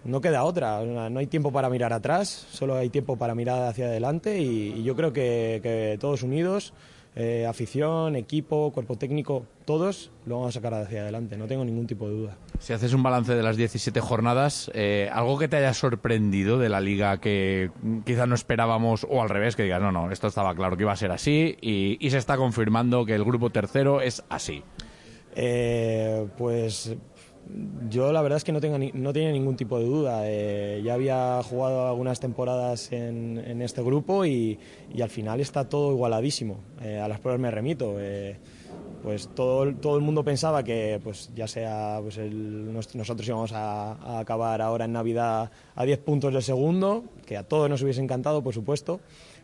no queda otra. No hay tiempo para mirar atrás, solo hay tiempo para mirar hacia adelante, y, y yo creo que, que todos unidos, eh, afición, equipo, cuerpo técnico, todos lo vamos a sacar hacia adelante, no tengo ningún tipo de duda. Si haces un balance de las diecisiete jornadas, eh, algo que te haya sorprendido de la Liga que quizás no esperábamos, o al revés, que digas, no, no, esto estaba claro que iba a ser así, y, y se está confirmando que el grupo tercero es así. Eh, pues yo la verdad es que no, tengo ni, no tenía ningún tipo de duda. Eh, ya había jugado algunas temporadas en, en este grupo y, y al final está todo igualadísimo. Eh, a las pruebas me remito. Eh, pues todo, todo el mundo pensaba que pues ya sea pues el, nosotros íbamos a, a acabar ahora en Navidad a diez puntos del segundo, que a todos nos hubiese encantado, por supuesto,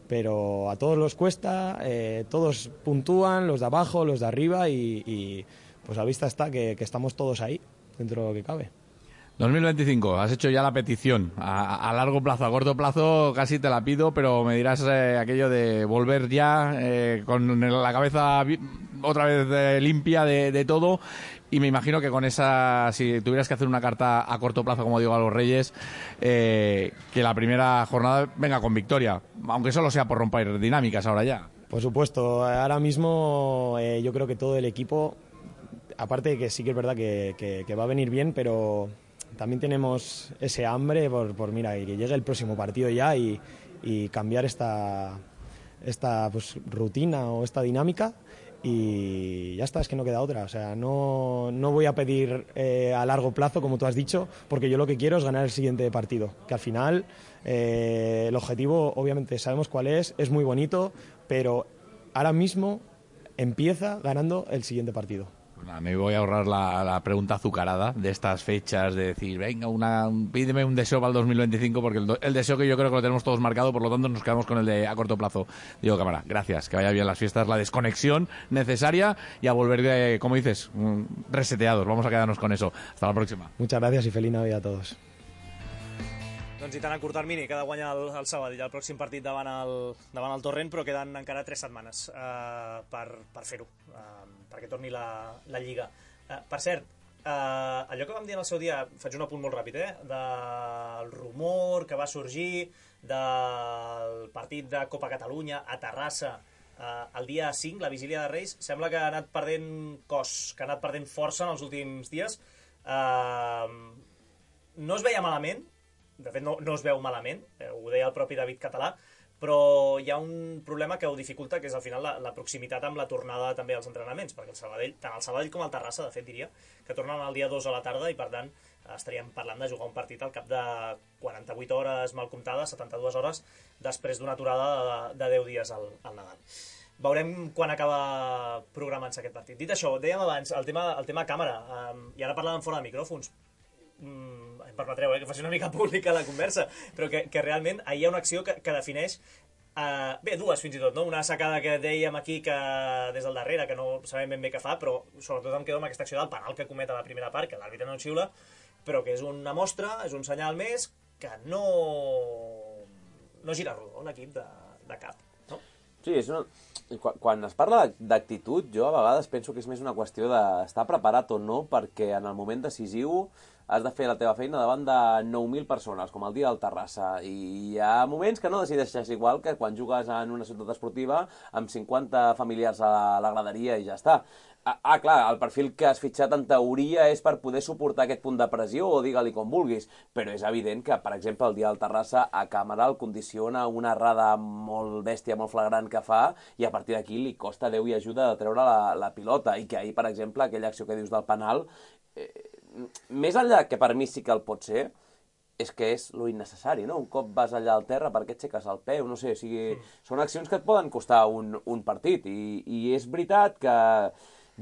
pero a todos los cuesta, eh, todos puntúan, los de abajo, los de arriba, y, y pues a vista está que, que estamos todos ahí, dentro de lo que cabe. dos mil veinticinco, has hecho ya la petición. A, a largo plazo, a corto plazo casi te la pido, pero me dirás eh, aquello de volver ya eh, con la cabeza otra vez eh, limpia de, de todo. Y me imagino que con esa, si tuvieras que hacer una carta a corto plazo, como digo, a los Reyes, eh, que la primera jornada venga con victoria, aunque solo sea por romper dinámicas ahora ya. Por supuesto, ahora mismo eh, yo creo que todo el equipo, aparte de que sí que es verdad que, que, que va a venir bien, pero también tenemos ese hambre por, por mira, que llegue el próximo partido ya y, y cambiar esta, esta pues, rutina o esta dinámica, y ya está, es que no queda otra. O sea, no, no voy a pedir eh, a largo plazo, como tú has dicho, porque yo lo que quiero es ganar el siguiente partido, que al final eh, el objetivo obviamente sabemos cuál es, es muy bonito, pero ahora mismo empieza ganando el siguiente partido. Me voy a ahorrar la, la pregunta azucarada de estas fechas, de decir, venga, una, un, pídeme un deseo para el dos mil veinticinco, porque el, el deseo que yo creo que lo tenemos todos marcado, por lo tanto nos quedamos con el de a corto plazo. Diego Cámara, gracias, que vaya bien las fiestas, la desconexión necesaria, y a volver, de, como dices, reseteados. Vamos a quedarnos con eso. Hasta la próxima. Muchas gracias i feliç Navidad a todos. Doncs i tant a curt termini, que ha de guanyar el, el Sabadell el pròxim partit davant el, davant el Torrent, però queden encara tres setmanes uh, per, per fer-ho, uh, perquè torni la, la Lliga. Uh, per cert, uh, allò que vam dir en el seu dia, faig un apunt molt ràpid, eh, del rumor que va sorgir del partit de Copa Catalunya a Terrassa uh, el dia cinc, la vigília de Reis, sembla que ha anat perdent cos, que ha anat perdent força en els últims dies. Uh, no es veia malament, de fet no, no es veu malament, eh, ho deia el propi David Català, però hi ha un problema que ho dificulta, que és al final la, la proximitat amb la tornada també als entrenaments, perquè el Sabadell, tant el Sabadell com el Terrassa, de fet diria, que tornen el dia dos a la tarda, i per tant estaríem parlant de jugar un partit al cap de quaranta-vuit hores mal comptades, setanta-dues hores, després d'una aturada de, de deu dies al, al Nadal. Veurem quan acaba programant-se aquest partit. Dit això, dèiem abans, el tema, el tema càmera, um, i ara parlàvem fora de micròfons, Mm, em permetreu eh, que faci una mica pública la conversa, però que, que realment ahir hi ha una acció que, que defineix Uh, bé, dues fins i tot, no? Una sacada que dèiem aquí que des del darrere, que no sabem ben bé què fa, però sobretot em quedo amb aquesta acció del penal que comet a la primera part, que l'àrbitre no xiula, però que és una mostra, és un senyal més que no, no gira rodó l'equip de, de cap, no? Sí, és una... Quan, quan es parla d'actitud, jo a vegades penso que és més una qüestió d'estar preparat o no, perquè en el moment decisiu has de fer la teva feina davant de nou mil persones, com el dia del Terrassa, i hi ha moments que no decideixes igual que quan jugues en una ciutat esportiva amb cinquanta familiars a la graderia i ja està. Ah, ah, clar, el perfil que has fitxat en teoria és per poder suportar aquest punt de pressió, o digue-li com vulguis, però és evident que, per exemple, el dia del Terrassa a càmera el condiciona una errada molt bèstia, molt flagrant que fa, i a partir d'aquí li costa Déu i ajuda de treure la, la pilota, i que ahir, per exemple, aquella acció que dius del penal, eh, més enllà que per mi sí que el pot ser, és que és lo innecessari, no? Un cop vas allà al terra, per què et aixeques el peu? No sé, o sigui, són accions que et poden costar un, un partit, i, i és veritat que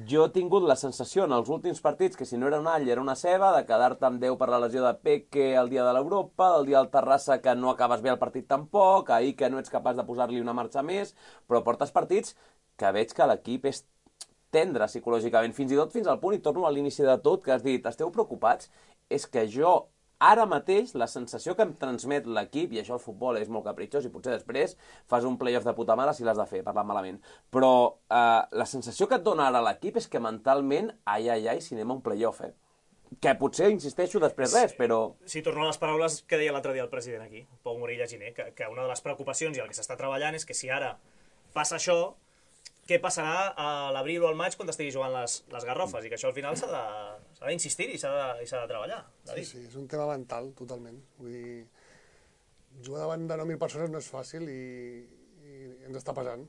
jo he tingut la sensació en els últims partits que si no era un all era una ceba, de quedar-te amb Déu per la lesió de Peque el dia de l'Europa, el dia del Terrassa que no acabes bé el partit tampoc, ahir que no ets capaç de posar-li una marxa més, però portes partits que veig que l'equip és tendre psicològicament, fins i tot fins al punt, i torno a l'inici de tot, que has dit, esteu preocupats? És que jo, ara mateix, la sensació que em transmet l'equip, i això el futbol és molt capritxós, i potser després fas un playoff de puta mare si l'has de fer, parlant malament, però eh, la sensació que et dona ara l'equip és que mentalment, ai, ai, ai, si anem a un playoff, eh? Que potser, insisteixo, després res, però... Sí, torno a les paraules que deia l'altre dia el president aquí, Pau Morella Giner, que, que una de les preocupacions i el que s'està treballant és que si ara passa això, què passarà a l'abril o al maig quan estigui jugant les, les garrofes, i que això al final s'ha d'insistir i s'ha de, de treballar. Sí, sí, és un tema mental, totalment. Vull dir, jugar davant de nou mil persones no és fàcil i, i ens està pesant,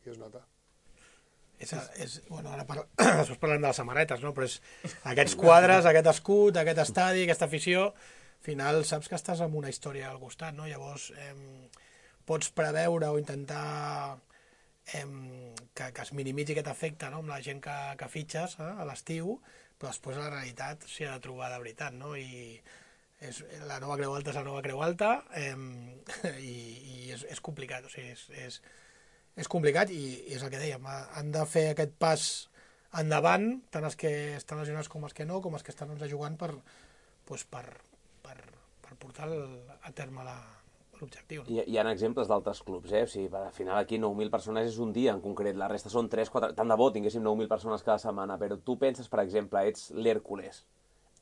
i es nota. És, és, bueno, ara parla, després parlem de les samarretes, no? Però és aquests quadres, aquest escut, aquest estadi, aquesta afició, al final saps que estàs amb una història al costat, no? Llavors eh, pots preveure o intentar eh, que, que es minimitzi aquest efecte, no? Amb la gent que, que fitxes eh, a l'estiu, però després la realitat s'hi ha de trobar de veritat, no? I és, la nova Creu Alta és la nova Creu Alta eh, i, i és, és complicat, o sigui, és, és, és complicat i, i és el que dèiem, han de fer aquest pas endavant, tant els que estan lesionats com els que no, com els que estan jugant per, doncs per, per, per portar el, a terme la, l'objectiu. No? Hi, hi ha exemples d'altres clubs, eh? O sigui, al final aquí nou mil persones és un dia en concret, la resta són tres quatre... Tant de bo tinguéssim nou mil persones cada setmana, però tu penses, per exemple, ets l'Hèrcules,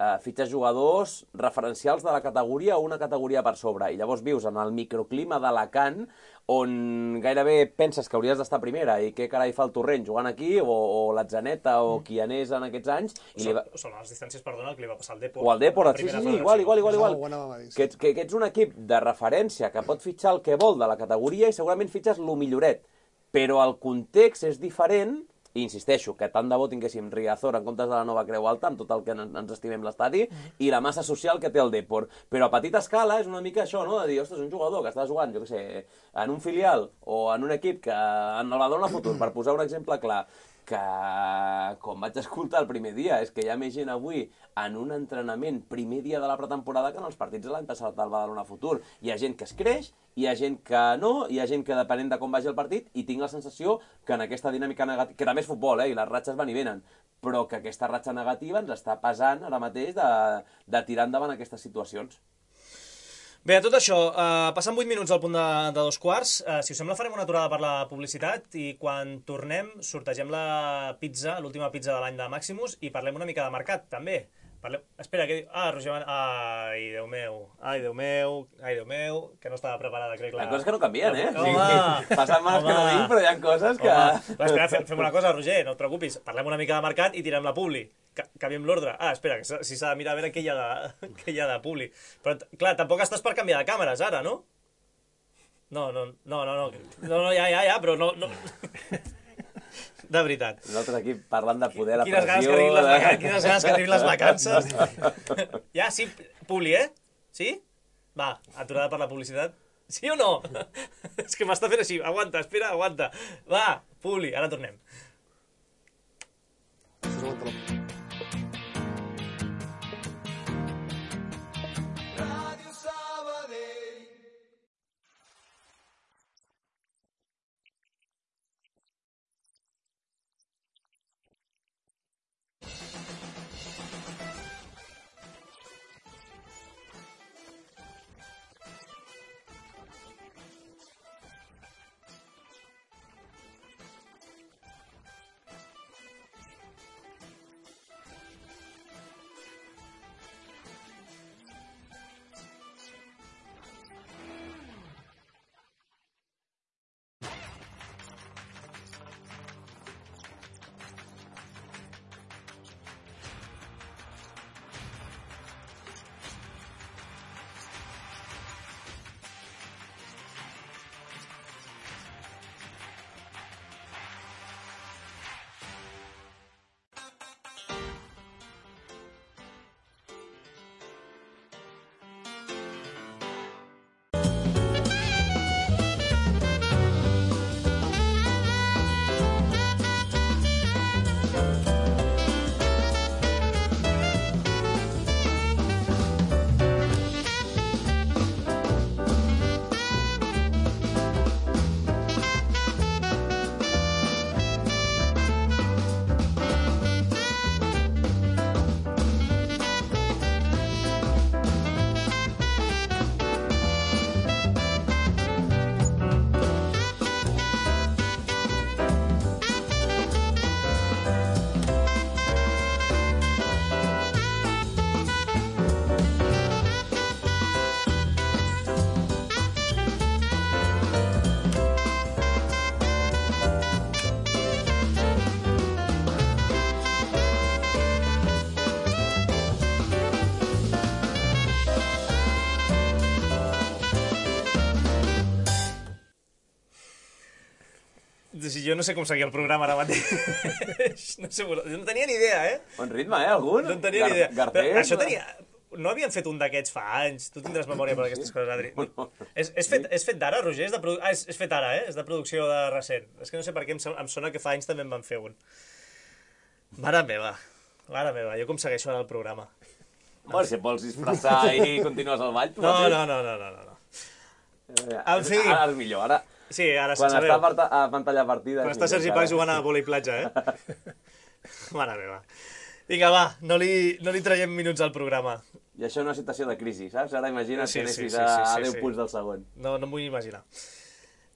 Uh, fitxes jugadors referencials de la categoria o una categoria per sobre, i llavors vius en el microclima d'Alacant, on gairebé penses que hauries d'estar primera, i què carai fa el Torrent jugant aquí, o, o l'Atzaneta, o qui anés en aquests anys... I són, li va... són les distàncies, perdona, que li va passar al Depor. O al Depor, sí, sí, sí, igual, igual, igual, igual. No, que, que, que ets un equip de referència que pot fitxar el que vol de la categoria i segurament fitxes lo milloret, però el context és diferent. I insisteixo, que tant de bo tinguéssim Riazor en comptes de la nova Creu Alta, amb tot el que ens estimem l'estadi, i la massa social que té el Depor. Però a petita escala és una mica això, no?, de dir, ostres, un jugador que està jugant, jo què sé, en un filial o en un equip que en el va donar futur, per posar un exemple clar, que, com vaig escoltar el primer dia, és que hi ha més gent avui en un entrenament primer dia de la pretemporada que en els partits de l'any passat del Badalona Futur. Hi ha gent que es creix, hi ha gent que no, hi ha gent que depenent de com vagi el partit, i tinc la sensació que en aquesta dinàmica negativa, que també és futbol, eh, i les ratxes van i venen, però que aquesta ratxa negativa ens està pesant ara mateix de, de tirar endavant aquestes situacions. Bé, a tot això, eh, passant vuit minuts al punt de, de dos quarts, eh, si us sembla farem una aturada per la publicitat i quan tornem sortegem la pizza, l'última pizza de l'any de Maximus, i parlem una mica de mercat, també. Parlem... Espera, que... Ah, Roger... Ai, Déu meu, ai, Déu meu, ai, Déu meu, que no estava preparada, crec. La... Hi ha coses que no canvien, eh? Home! Sí, passen males que no vinc, però hi ha coses que... Home. Va, espera, fem, fem una cosa, Roger, no et preocupis, parlem una mica de mercat i tirem la publi. Canviem l'ordre. Ah, espera, que si s'ha de mirar a veure què hi ha de, què hi ha de publi. Però, clar, tampoc estàs per canviar de càmeres, ara, no? No, no, no, no, no, no, no ja, ja, ja, però no... no... De veritat. Nosaltres aquí parlant de poder, la quines pressió... Ganes les vacances, quines ganes que arribin les vacances. Ja, sí, publi, eh? Sí? Va, aturada per la publicitat. Sí o no? És que m'està fent així. Aguanta, espera, aguanta. Va, publi, ara tornem. Jo no sé com seguir el programa ara mateix. No sé, no tenia ni idea, eh? Bon ritme, eh, algun? No en tenia ni idea. Garcés, Però això tenia... No havien fet un d'aquests fa anys. Tu tindràs memòria per aquestes coses, Adri. És, és fet, és fet d'ara, Roger? És de produ... Ah, és, és fet ara, eh? És de producció de recent. És que no sé per què em, em sona que fa anys també en van fer un. Mare meva. Mare meva, jo com segueixo ara el programa. Bueno, si et vols disfressar i continues al ball, tu No, mateix. no, no, no, no, no. En fi. Ara és millor, ara... Sí, ara Quan sabeu. està a pantalla partida... Quan està Sergi Pau jugant a vòlei platja, eh? Mare meva. Vinga, va, no li, no li traiem minuts al programa. I això és una situació de crisi, saps? Ara imagina't Sí, que sí, anessis sí, sí, a sí, deu sí. punts del segon. No, no m'ho vull imaginar.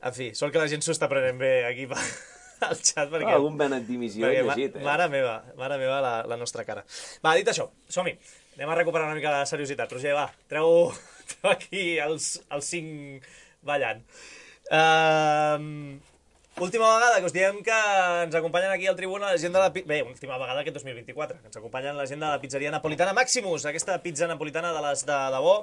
En fi, sort que la gent s'ho està prenent bé aquí al xat, perquè... Ah, algun benet dimissió he perquè, ma- llegit, eh? Mare meva, mare meva, la, la nostra cara. Va, dit això, som-hi. Anem a recuperar una mica de seriositat. Roger, va, treu, treu aquí els, els cinc ballant. Uh, última vegada que us diem que ens acompanyen aquí al Tribuna la gent de la... pi- Bé, última vegada aquest dos mil vint-i-quatre, que ens acompanyen la gent de la pizzeria napolitana Maximus, aquesta pizza napolitana de les de debò,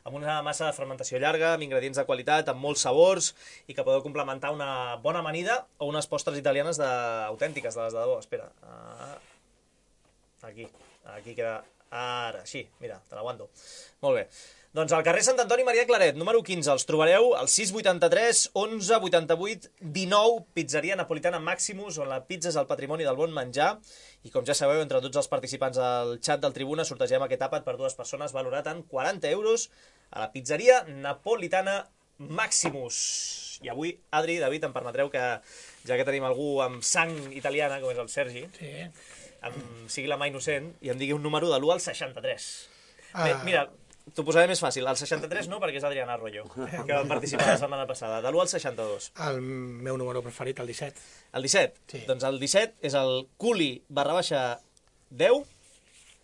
amb una massa de fermentació llarga, amb ingredients de qualitat, amb molts sabors, i que podeu complementar una bona amanida o unes postres italianes de... autèntiques de les de debò. Espera. Ah, aquí. Aquí queda... Ara, així. Mira, te l'aguanto. Molt bé. Doncs al carrer Sant Antoni Maria Claret, número quinze, els trobareu al sis vuitanta-tres onze vuitanta-vuit dinou, pizzeria napolitana Maximus, on la pizza és el patrimoni del bon menjar. I com ja sabeu, entre tots els participants al xat del Tribuna sortegem aquest àpat per dues persones valorat en quaranta euros a la pizzeria napolitana Maximus. I avui, Adri, David, em permetreu que, ja que tenim algú amb sang italiana, com és el Sergi, Sí. em sigui la mà innocent i em digui un número de l'u al seixanta-tres. Ah. Bé, mira, t'ho posaré més fàcil. El seixanta-tres no, perquè és Adriana Arroyo, que va participar la setmana passada. De l'u al seixanta-dos. El meu número preferit, el disset. El disset? Sí. Doncs el disset és el culi barra baixa deu,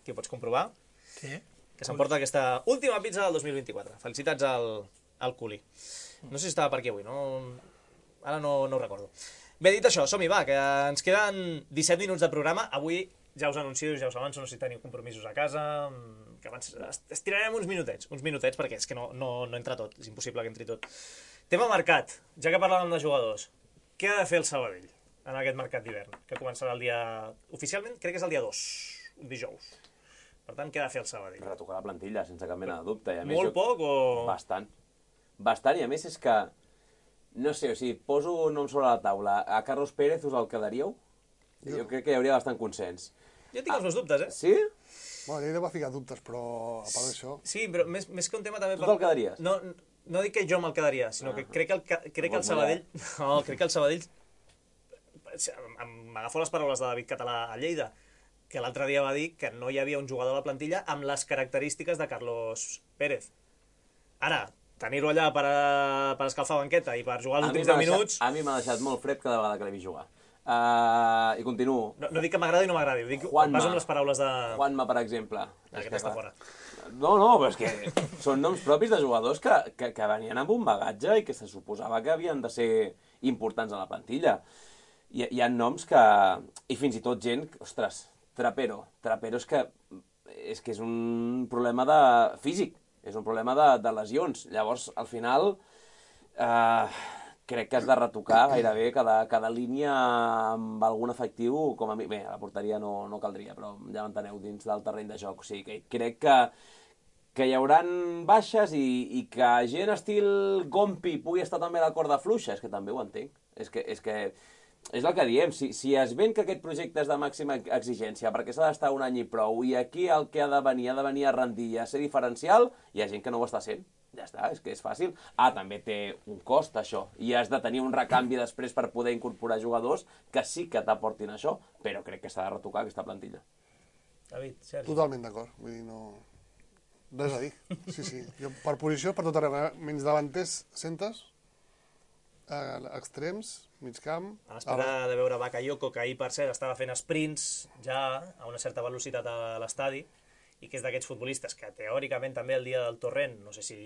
que ho pots comprovar, Sí. que s'emporta aquesta última pizza del dos mil vint-i-quatre. Felicitats al, al culi. No sé si estava per aquí avui, no... Ara no, no ho recordo. Bé, dit això, som-hi, va, que ens queden disset minuts de programa. Avui ja us anuncio, ja us avanço, no sé si teniu compromisos a casa, que abans estirarem uns minutets, uns minutets, perquè és que no, no, no entra tot, és impossible que entri tot. Tema mercat, ja que parlàvem de jugadors, què ha de fer el Sabadell en aquest mercat d'hivern, que començarà el dia... Oficialment crec que és el dia dos, un dijous. Per tant, què ha de fer el Sabadell? Retocar la plantilla, sense cap mena de dubte. I a més, Molt jo... poc o...? Bastant. Bastant, i a més és que... No sé, o sigui, poso un nom sobre la taula. A Carlos Pérez us el quedaríeu? Jo, jo crec que hi hauria bastant consens. Jo tinc els meus dubtes, eh? Sí? Bueno, Lleida va ficar dubtes, però a part d'això... Sí, però més, més que un tema també... Tu te'l quedaries? No, no dic que jo me'l quedaria, sinó que crec que el, ca- crec que el Sabadell... No, crec que el Sabadell... M'agafo les paraules de David Català a Lleida, que l'altre dia va dir que no hi havia un jugador a la plantilla amb les característiques de Carlos Pérez. Ara, tenir-ho allà per, a, per escalfar banqueta i per jugar els A mi últims m'ha deu deixat- minuts... A mi m'ha deixat molt fred cada vegada que l'he vist jugar. Uh, I continuo. No, no dic que m'agradi o no m'agradi, dic Juanma. vas amb les paraules de... Juanma, per exemple. Aquest està fora. No, no, però és que són noms propis de jugadors que, que, que venien amb un bagatge i que se suposava que havien de ser importants a la plantilla. Hi, hi ha noms que... I fins i tot gent... Ostres, Trapero. Trapero és que és, que és un problema de físic. És un problema de, de lesions. Llavors, al final, eh, crec que has de retocar gairebé cada, cada línia amb algun efectiu, com a mi... Bé, a la porteria no, no caldria, però ja m'enteneu, dins del terreny de joc. O sigui, que crec que, que hi hauran baixes i, i que gent estil Gompi pugui estar també a la corda fluixa, és que també ho entenc. És que... És que és el que diem, si, si es ven que aquest projecte és de màxima exigència perquè s'ha d'estar un any i prou, i aquí el que ha de venir, ha de venir a rendir i a ser diferencial, hi ha gent que no ho està sent. Ja està, és que és fàcil. Ah, també té un cost, això, i has de tenir un recanvi després per poder incorporar jugadors que sí que t'aportin això, però crec que s'ha de retocar aquesta plantilla. David, Sergi. Totalment d'acord, vull dir, no... Res a dir, sí, sí. Jo, per posició, per tot arreu, menys davanters, centes, eh, extrems, mig camp... A l'espera de veure Bakayoko, que ahir, per cert, estava fent sprints ja a una certa velocitat a l'estadi, i que és d'aquests futbolistes que teòricament també el dia del torrent, no sé si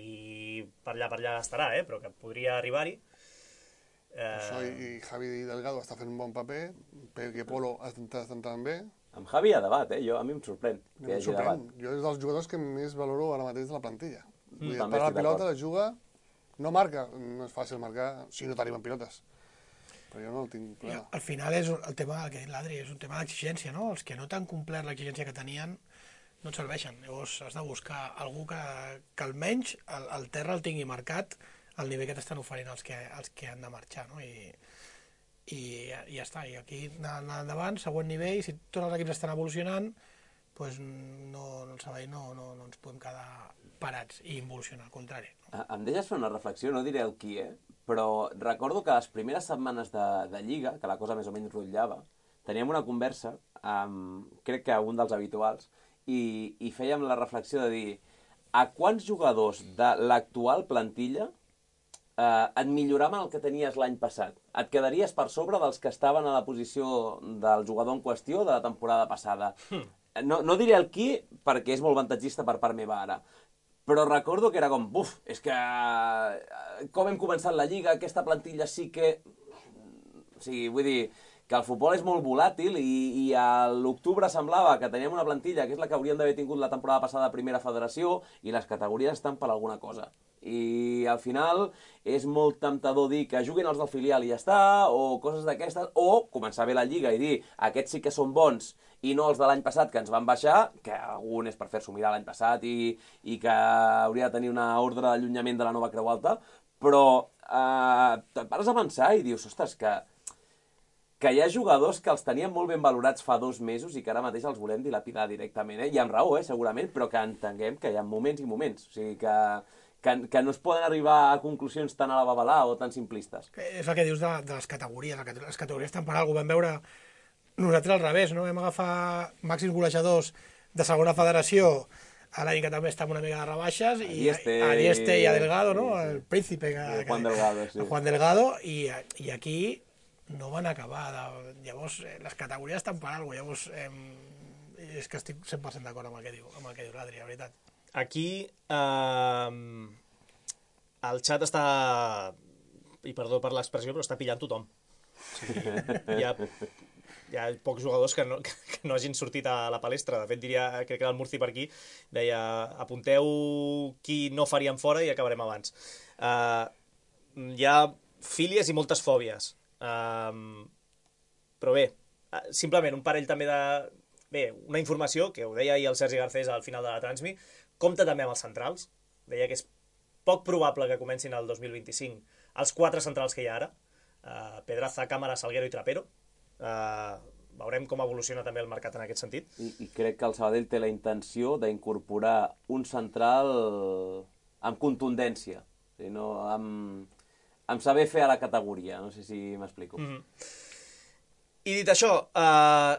per allà per allà estarà, eh, però que podria arribar-hi. Eh... Això, i Javi Delgado està fent un bon paper, Pere Polo està entrant bé. Amb Javi hi ha debat, eh? Jo, a mi em sorprèn que hi hagi sorprèn. debat. Jo és dels jugadors que més valoro ara mateix de la plantilla. Mm, per la pilota la juga, no marca, no és fàcil marcar si no t'arriben pilotes. però jo no el tinc I problema. al final és el tema que ha dit l'Adri, és un tema d'exigència, no? Els que no t'han complert l'exigència que tenien no et serveixen. Llavors has de buscar algú que, que almenys el, el terra el tingui marcat al nivell que t'estan oferint els que, els que han de marxar, no? I, i, i ja està. I aquí anar endavant, següent nivell, si tots els equips estan evolucionant, doncs no, no, no, no, no ens podem quedar parats i involucionar, al contrari. No? Em deixes fer una reflexió, no diré el qui, eh? Però recordo que les primeres setmanes de, de Lliga, que la cosa més o menys rotllava, teníem una conversa amb, crec que un dels habituals, i, i fèiem la reflexió de dir a quants jugadors de l'actual plantilla eh, et milloraven el que tenies l'any passat? Et quedaries per sobre dels que estaven a la posició del jugador en qüestió de la temporada passada? Hmm. No, no diré el qui, perquè és molt avantatgista per part meva ara, però recordo que era com, buf, és que com hem començat la Lliga, aquesta plantilla sí que... O sigui, vull dir, que el futbol és molt volàtil i, i a l'octubre semblava que teníem una plantilla que és la que hauríem d'haver tingut la temporada passada a Primera Federació i les categories estan per alguna cosa. I al final és molt temptador dir que juguin els del filial i ja està, o coses d'aquestes, o començar bé la Lliga i dir aquests sí que són bons i no els de l'any passat que ens van baixar, que algun és per fer-s'ho mirar l'any passat i, i que hauria de tenir una ordre d'allunyament de la nova Creu Alta, però eh, te'n pares a pensar i dius, ostres, que que hi ha jugadors que els tenien molt ben valorats fa dos mesos i que ara mateix els volem dilapidar directament, eh? I amb raó, eh, segurament, però que entenguem que hi ha moments i moments. O sigui, que, que, que no es poden arribar a conclusions tan a la babalà o tan simplistes. És el que dius de, de les categories. Les categories estan per alguna cosa. Vam veure nosaltres al revés, no? Vam agafar màxims golejadors de segona federació a l'any que també estava una mica de rebaixes, i a Dieste i a Delgado, no? Sí, sí. El príncipe. Que, el Juan Delgado, sí. El Juan Delgado, i, i aquí no van acabar. De... Llavors, eh, les categories estan per alguna cosa. Llavors, eh, és que estic cent per cent d'acord amb el que diu, amb el que diu l'Adri, la veritat. Aquí, eh, el xat està, i perdó per l'expressió, però està pillant tothom. O sigui, hi ha, hi ha pocs jugadors que no, que no hagin sortit a la palestra. De fet, diria, crec que el Murci per aquí deia, apunteu qui no faríem fora i acabarem abans. Eh, hi ha fílies i moltes fòbies. Um, però bé, simplement un parell també de... Bé, una informació, que ho deia ahir el Sergi Garcés al final de la Transmi, compta també amb els centrals. Deia que és poc probable que comencin el dos mil vint-i-cinc els quatre centrals que hi ha ara, uh, Pedraza, Cámara, Salguero i Trapero. Uh, veurem com evoluciona també el mercat en aquest sentit. I, i crec que el Sabadell té la intenció d'incorporar un central amb contundència, o sigui, no amb... amb saber fer a la categoria, no sé si m'explico. Mm-hmm. I dit això, eh,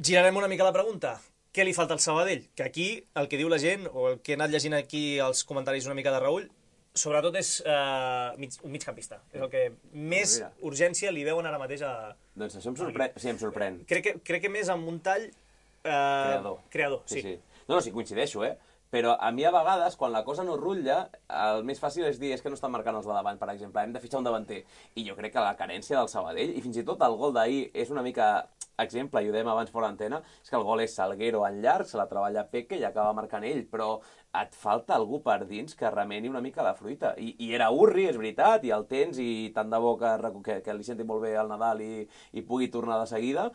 girarem una mica la pregunta. Què li falta al Sabadell? Que aquí, el que diu la gent, o el que he anat llegint aquí els comentaris una mica de Raül, sobretot és eh, mig, un migcampista. És el que més oh, urgència li veuen ara mateix a... Doncs això em sorprèn. Sí, em sorprèn. Crec que, crec que més amb un tall... Eh, creador. Creador, sí. sí. sí. No, no, sí, coincideixo, eh? Però a mi a vegades, quan la cosa no rutlla, el més fàcil és dir és que no estan marcant els de davant, per exemple, hem de fitxar un davanter. I jo crec que la carència del Sabadell, i fins i tot el gol d'ahir és una mica exemple, i ho dèiem abans fora antena, és que el gol és Salguero en llarg, se la treballa Peque i acaba marcant ell, però et falta algú per dins que remeni una mica la fruita. I, i era Urri, és veritat, i el tens, i tant de bo que, que, que li senti molt bé al Nadal i, i pugui tornar de seguida,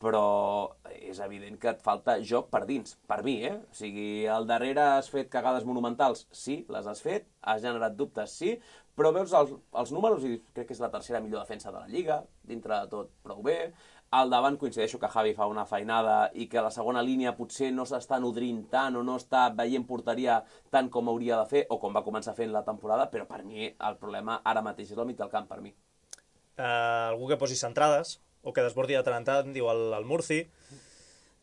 però és evident que et falta joc per dins, per mi, eh? O sigui, al darrere has fet cagades monumentals, sí, les has fet, has generat dubtes, sí, però veus els, els números i crec que és la tercera millor defensa de la Lliga, dintre de tot prou bé. Al davant coincideixo que Javi fa una feinada i que la segona línia potser no s'està nodrint tant o no està veient porteria tant com hauria de fer o com va començar fent la temporada, però per mi el problema ara mateix és el mig del camp, per mi. Uh, algú que posi centrades, o que desbordi de tant en tant, diu el, el Murci.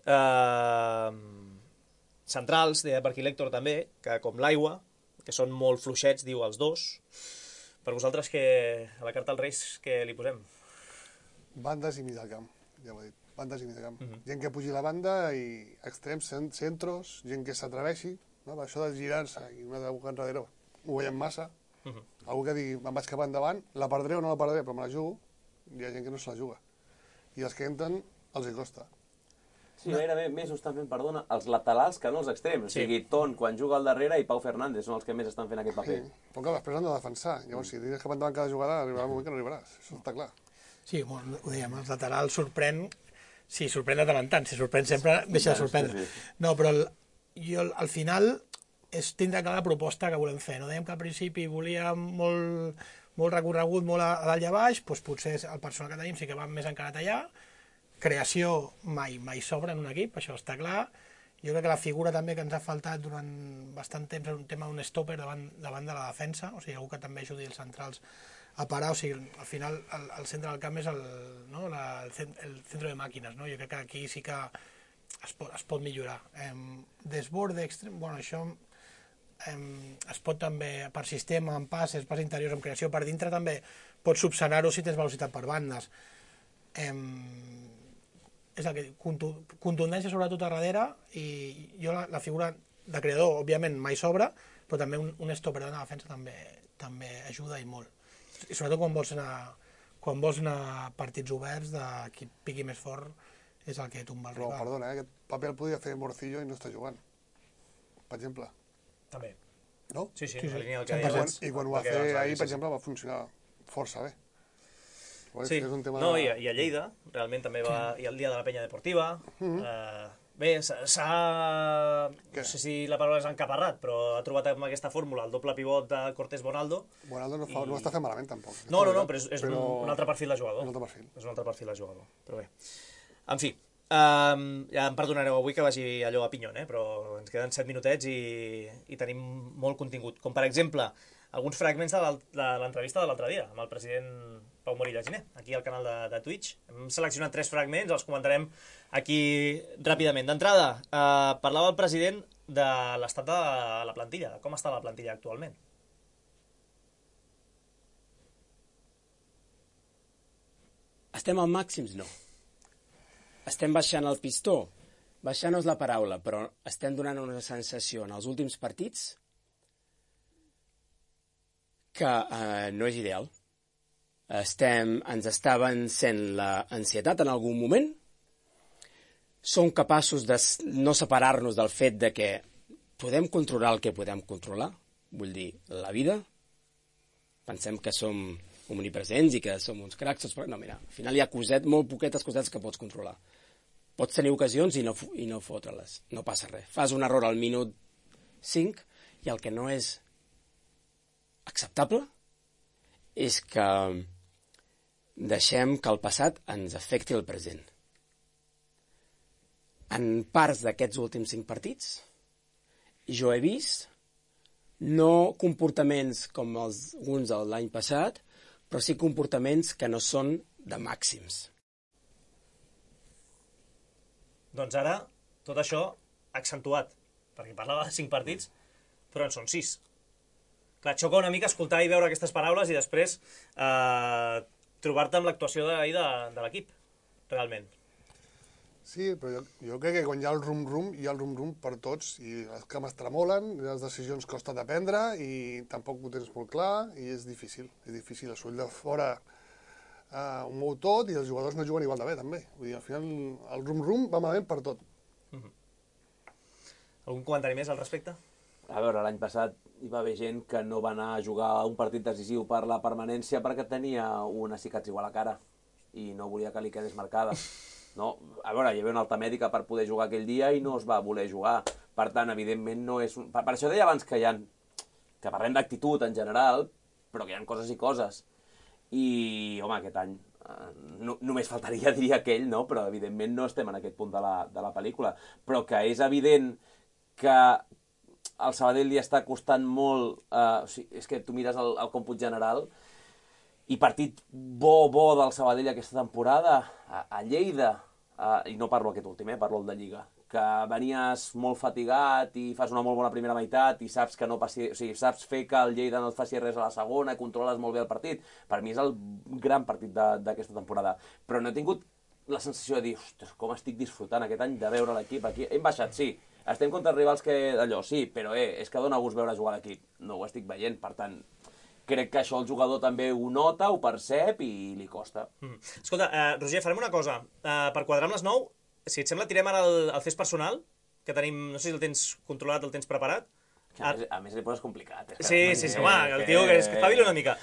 Uh, centrals, deia per aquí l'Héctor també, que com l'aigua, que són molt fluixets, diu els dos. Per vosaltres, que a la carta als Reis, què li posem? Bandes i mig del camp, ja ho he dit. Bandes i mig del camp. Uh-huh. Gent que pugi la banda i extrems, centros, gent que s'atreveixi. No? Això de girar-se i una de boca enrere ho veiem massa. Uh-huh. Algú que digui, me'n vaig cap endavant, la perdré o no la perdré, però me la jugo. Hi ha gent que no se la juga. I els que entren els hi costa. Sí, gairebé més ho estan fent, perdona, els laterals que no els extrems. O sigui, Ton, quan juga al darrere, i Pau Fernández són els que més estan fent aquest paper. Sí, però clar, després han de defensar. Llavors, si tens cap endavant cada jugada, arribarà un moment que no arribaràs. Això està clar. Sí, ho dèiem, els laterals sorprèn... Sí, sorprèn de tant en tant. Si sorprèn sempre, deixa de sorprendre. No, però el, jo, al final és tindre clar la proposta que volem fer. No dèiem que al principi volíem molt, molt recorregut, molt a, a dalt i a baix, doncs potser el personal que tenim sí que va més encarat allà. Creació mai, mai sobra en un equip, això està clar. Jo crec que la figura també que ens ha faltat durant bastant temps és un tema d'un stopper davant, davant de la defensa, o sigui, algú que també ajudi els centrals a parar, o sigui, al final el, el centre del camp és el, no, la, el, el centre de màquines, no? Jo crec que aquí sí que es pot, es pot millorar. Eh, desborde extrem, bueno, això eh, es pot també, per sistema, en passes, pas interiors, en creació, per dintre també pots subsanar-ho si tens velocitat per bandes. Eh, és el que contundència sobretot a darrere, i jo la, la figura de creador, òbviament, mai sobra, però també un, un stopper de la defensa també, també ajuda i molt. I sobretot quan vols anar, quan vols anar a partits oberts, de qui piqui més fort és el que tomba el rival. rival. Però, perdona, eh, aquest paper el podia fer Morcillo i no està jugant, per exemple. També. No? Sí, sí, sí, la sí. línia del que I quan, deies. I quan ho va fer ahir, per exemple, va funcionar força bé. Sí, és un tema no, de... i, a, i a Lleida, realment també va... Sí. I el dia de la penya deportiva... Mm-hmm. eh, bé, s'ha... No sé si la paraula és encaparrat, però ha trobat amb aquesta fórmula el doble pivot de Cortés Bonaldo. Bonaldo no, fa, i... no està fent malament, tampoc. No, no, no, però és, és però... un, un altre perfil de jugador. Un altre perfil. És un altre perfil de jugador, però bé. En fi, um, ja em perdonareu avui que vagi allò a pinyon, eh? Però ens queden set minutets i, i tenim molt contingut. Com, per exemple, alguns fragments de l'entrevista de l'altre dia amb el president Pau Morilla Giner, aquí al canal de, de Twitch. Hem seleccionat tres fragments, els comentarem aquí ràpidament. D'entrada, eh, parlava el president de l'estat de la plantilla, de com està la plantilla actualment. Estem al màxims? No. Estem baixant el pistó? Baixar no és la paraula, però estem donant una sensació en els últims partits que eh, no és ideal. Estem, ens està vencent l'ansietat en algun moment. Som capaços de no separar-nos del fet de que podem controlar el que podem controlar, vull dir, la vida. Pensem que som omnipresents i que som uns cracs, però no, mira, al final hi ha coset, molt poquetes cosetes que pots controlar. Pots tenir ocasions i no, i no fotre-les, no passa res. Fas un error al minut cinc i el que no és acceptable és que deixem que el passat ens afecti el present. En parts d'aquests últims cinc partits, jo he vist no comportaments com els, alguns de l'any passat, però sí comportaments que no són de màxims. Doncs ara, tot això accentuat, perquè parlava de cinc partits, però en són sis. Clar, xoca una mica escoltar i veure aquestes paraules i després eh, trobar-te amb l'actuació d'ahir de, de l'equip, realment. Sí, però jo, jo crec que quan hi ha el rum-rum, hi ha el rum-rum per tots, i les cames tremolen, les decisions costa de prendre, i tampoc ho tens molt clar, i és difícil, és difícil. El soroll de fora eh, ho mou tot, i els jugadors no juguen igual de bé, també. Vull dir, al final, el rum-rum va malament per tot. Mm-hmm. Algun comentari més al respecte? A veure, l'any passat hi va haver gent que no va anar a jugar un partit decisiu per la permanència perquè tenia una cicatriu a la cara i no volia que li quedés marcada. No, a veure, hi havia una alta mèdica per poder jugar aquell dia i no es va voler jugar. Per tant, evidentment, no és... Un... Per, per això deia abans que hi ha... que parlem d'actitud en general, però que hi ha coses i coses. I, home, aquest any eh, no, només faltaria dir aquell, no? Però evidentment no estem en aquest punt de la, de la pel·lícula. Però que és evident que al Sabadell li està costant molt... Eh, o sigui, és que tu mires el, el còmput general i partit bo, bo del Sabadell aquesta temporada a, a Lleida, eh, i no parlo aquest últim, eh, parlo el de Lliga, que venies molt fatigat i fas una molt bona primera meitat i saps que no passi, o sigui, saps fer que el Lleida no et faci res a la segona i controles molt bé el partit. Per mi és el gran partit d'aquesta temporada. Però no he tingut la sensació de dir, ostres, com estic disfrutant aquest any de veure l'equip aquí. Hem baixat, sí. Estem contra rivals que d'allò, sí, però eh, és que dona gust veure jugar l'equip. No ho estic veient, per tant, crec que això el jugador també ho nota, ho percep i li costa. Mm. Escolta, uh, Roger, farem una cosa. Uh, per quadrar amb les nou, si et sembla, tirem ara el, el fes personal, que tenim, no sé si el tens controlat, el tens preparat. A més, a més li poses complicat. Eh? Sí, sí, sí, home, el tio que es espavili una mica.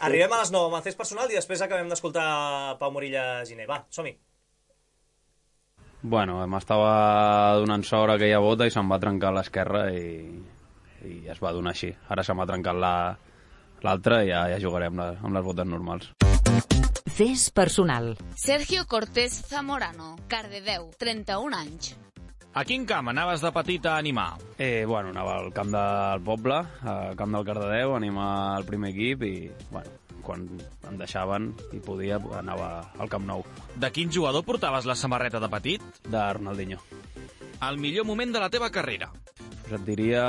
Arribem a les nou amb el fes personal i després acabem d'escoltar Pau Morilla Giner. Va, som-hi. Bueno, m'estava donant sort aquella bota i se'm va trencar l'esquerra i, i es va donar així. Ara se m'ha trencat l'altra i ja, ja jugarem amb, la, amb les botes normals. Fes personal. Sergio Cortés Zamorano, Cardedeu, trenta-un anys. A quin camp anaves de petit a animar? Eh, bueno, anava al camp del poble, al camp del Cardedeu, a animar el primer equip i, bueno, quan em deixaven i podia, anava al Camp Nou. De quin jugador portaves la samarreta de petit? De Ronaldinho. El millor moment de la teva carrera? Pues et diria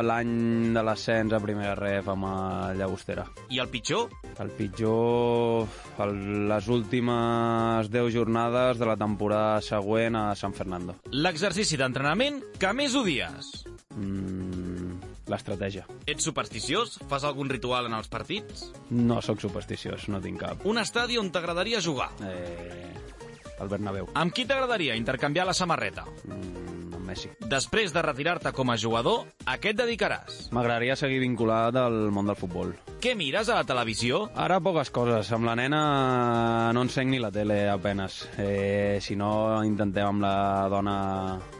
l'any de l'ascens a primera ref amb el Llagostera. I el pitjor? El pitjor, el, les últimes deu jornades de la temporada següent a San Fernando. L'exercici d'entrenament que més odies? Mm, l'estratègia. Ets supersticiós? Fas algun ritual en els partits? No sóc supersticiós, no tinc cap. Un estadi on t'agradaria jugar? Eh, el Bernabéu. Amb qui t'agradaria intercanviar la samarreta? Mm, amb Messi. Després de retirar-te com a jugador, a què et dedicaràs? M'agradaria seguir vinculat al món del futbol. Què mires a la televisió? Ara poques coses. Amb la nena no encenc ni la tele apenes. Eh, si no, intentem amb la dona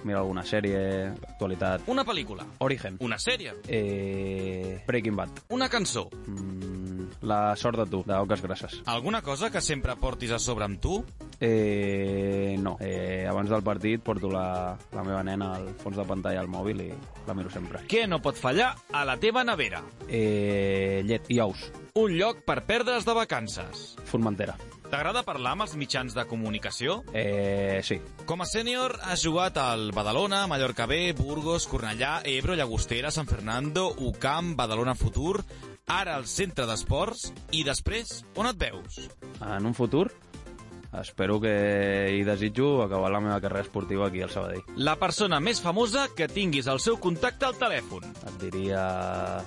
mirar alguna sèrie, actualitat. Una pel·lícula? Origen. Una sèrie? Eh, Breaking Bad. Una cançó? Mm, La sort de tu, d'Oques Grasses. Alguna cosa que sempre portis a sobre amb tu? Eh, no. Eh, abans del partit porto la, la meva nena al fons de pantalla al mòbil i la miro sempre. Què no pot fallar a la teva nevera? Eh, llet i ous. Un lloc per perdre's de vacances. Formentera. T'agrada parlar amb els mitjans de comunicació? Eh, sí. Com a sènior has jugat al Badalona, Mallorca B, Burgos, Cornellà, Ebro, Llagostera, San Fernando, U C A M, Badalona Futur, ara al Centre d'Esports, i després, on et veus? En un futur, espero que hi desitjo acabar la meva carrera esportiva aquí al Sabadell. La persona més famosa que tinguis el seu contacte al telèfon? Et diria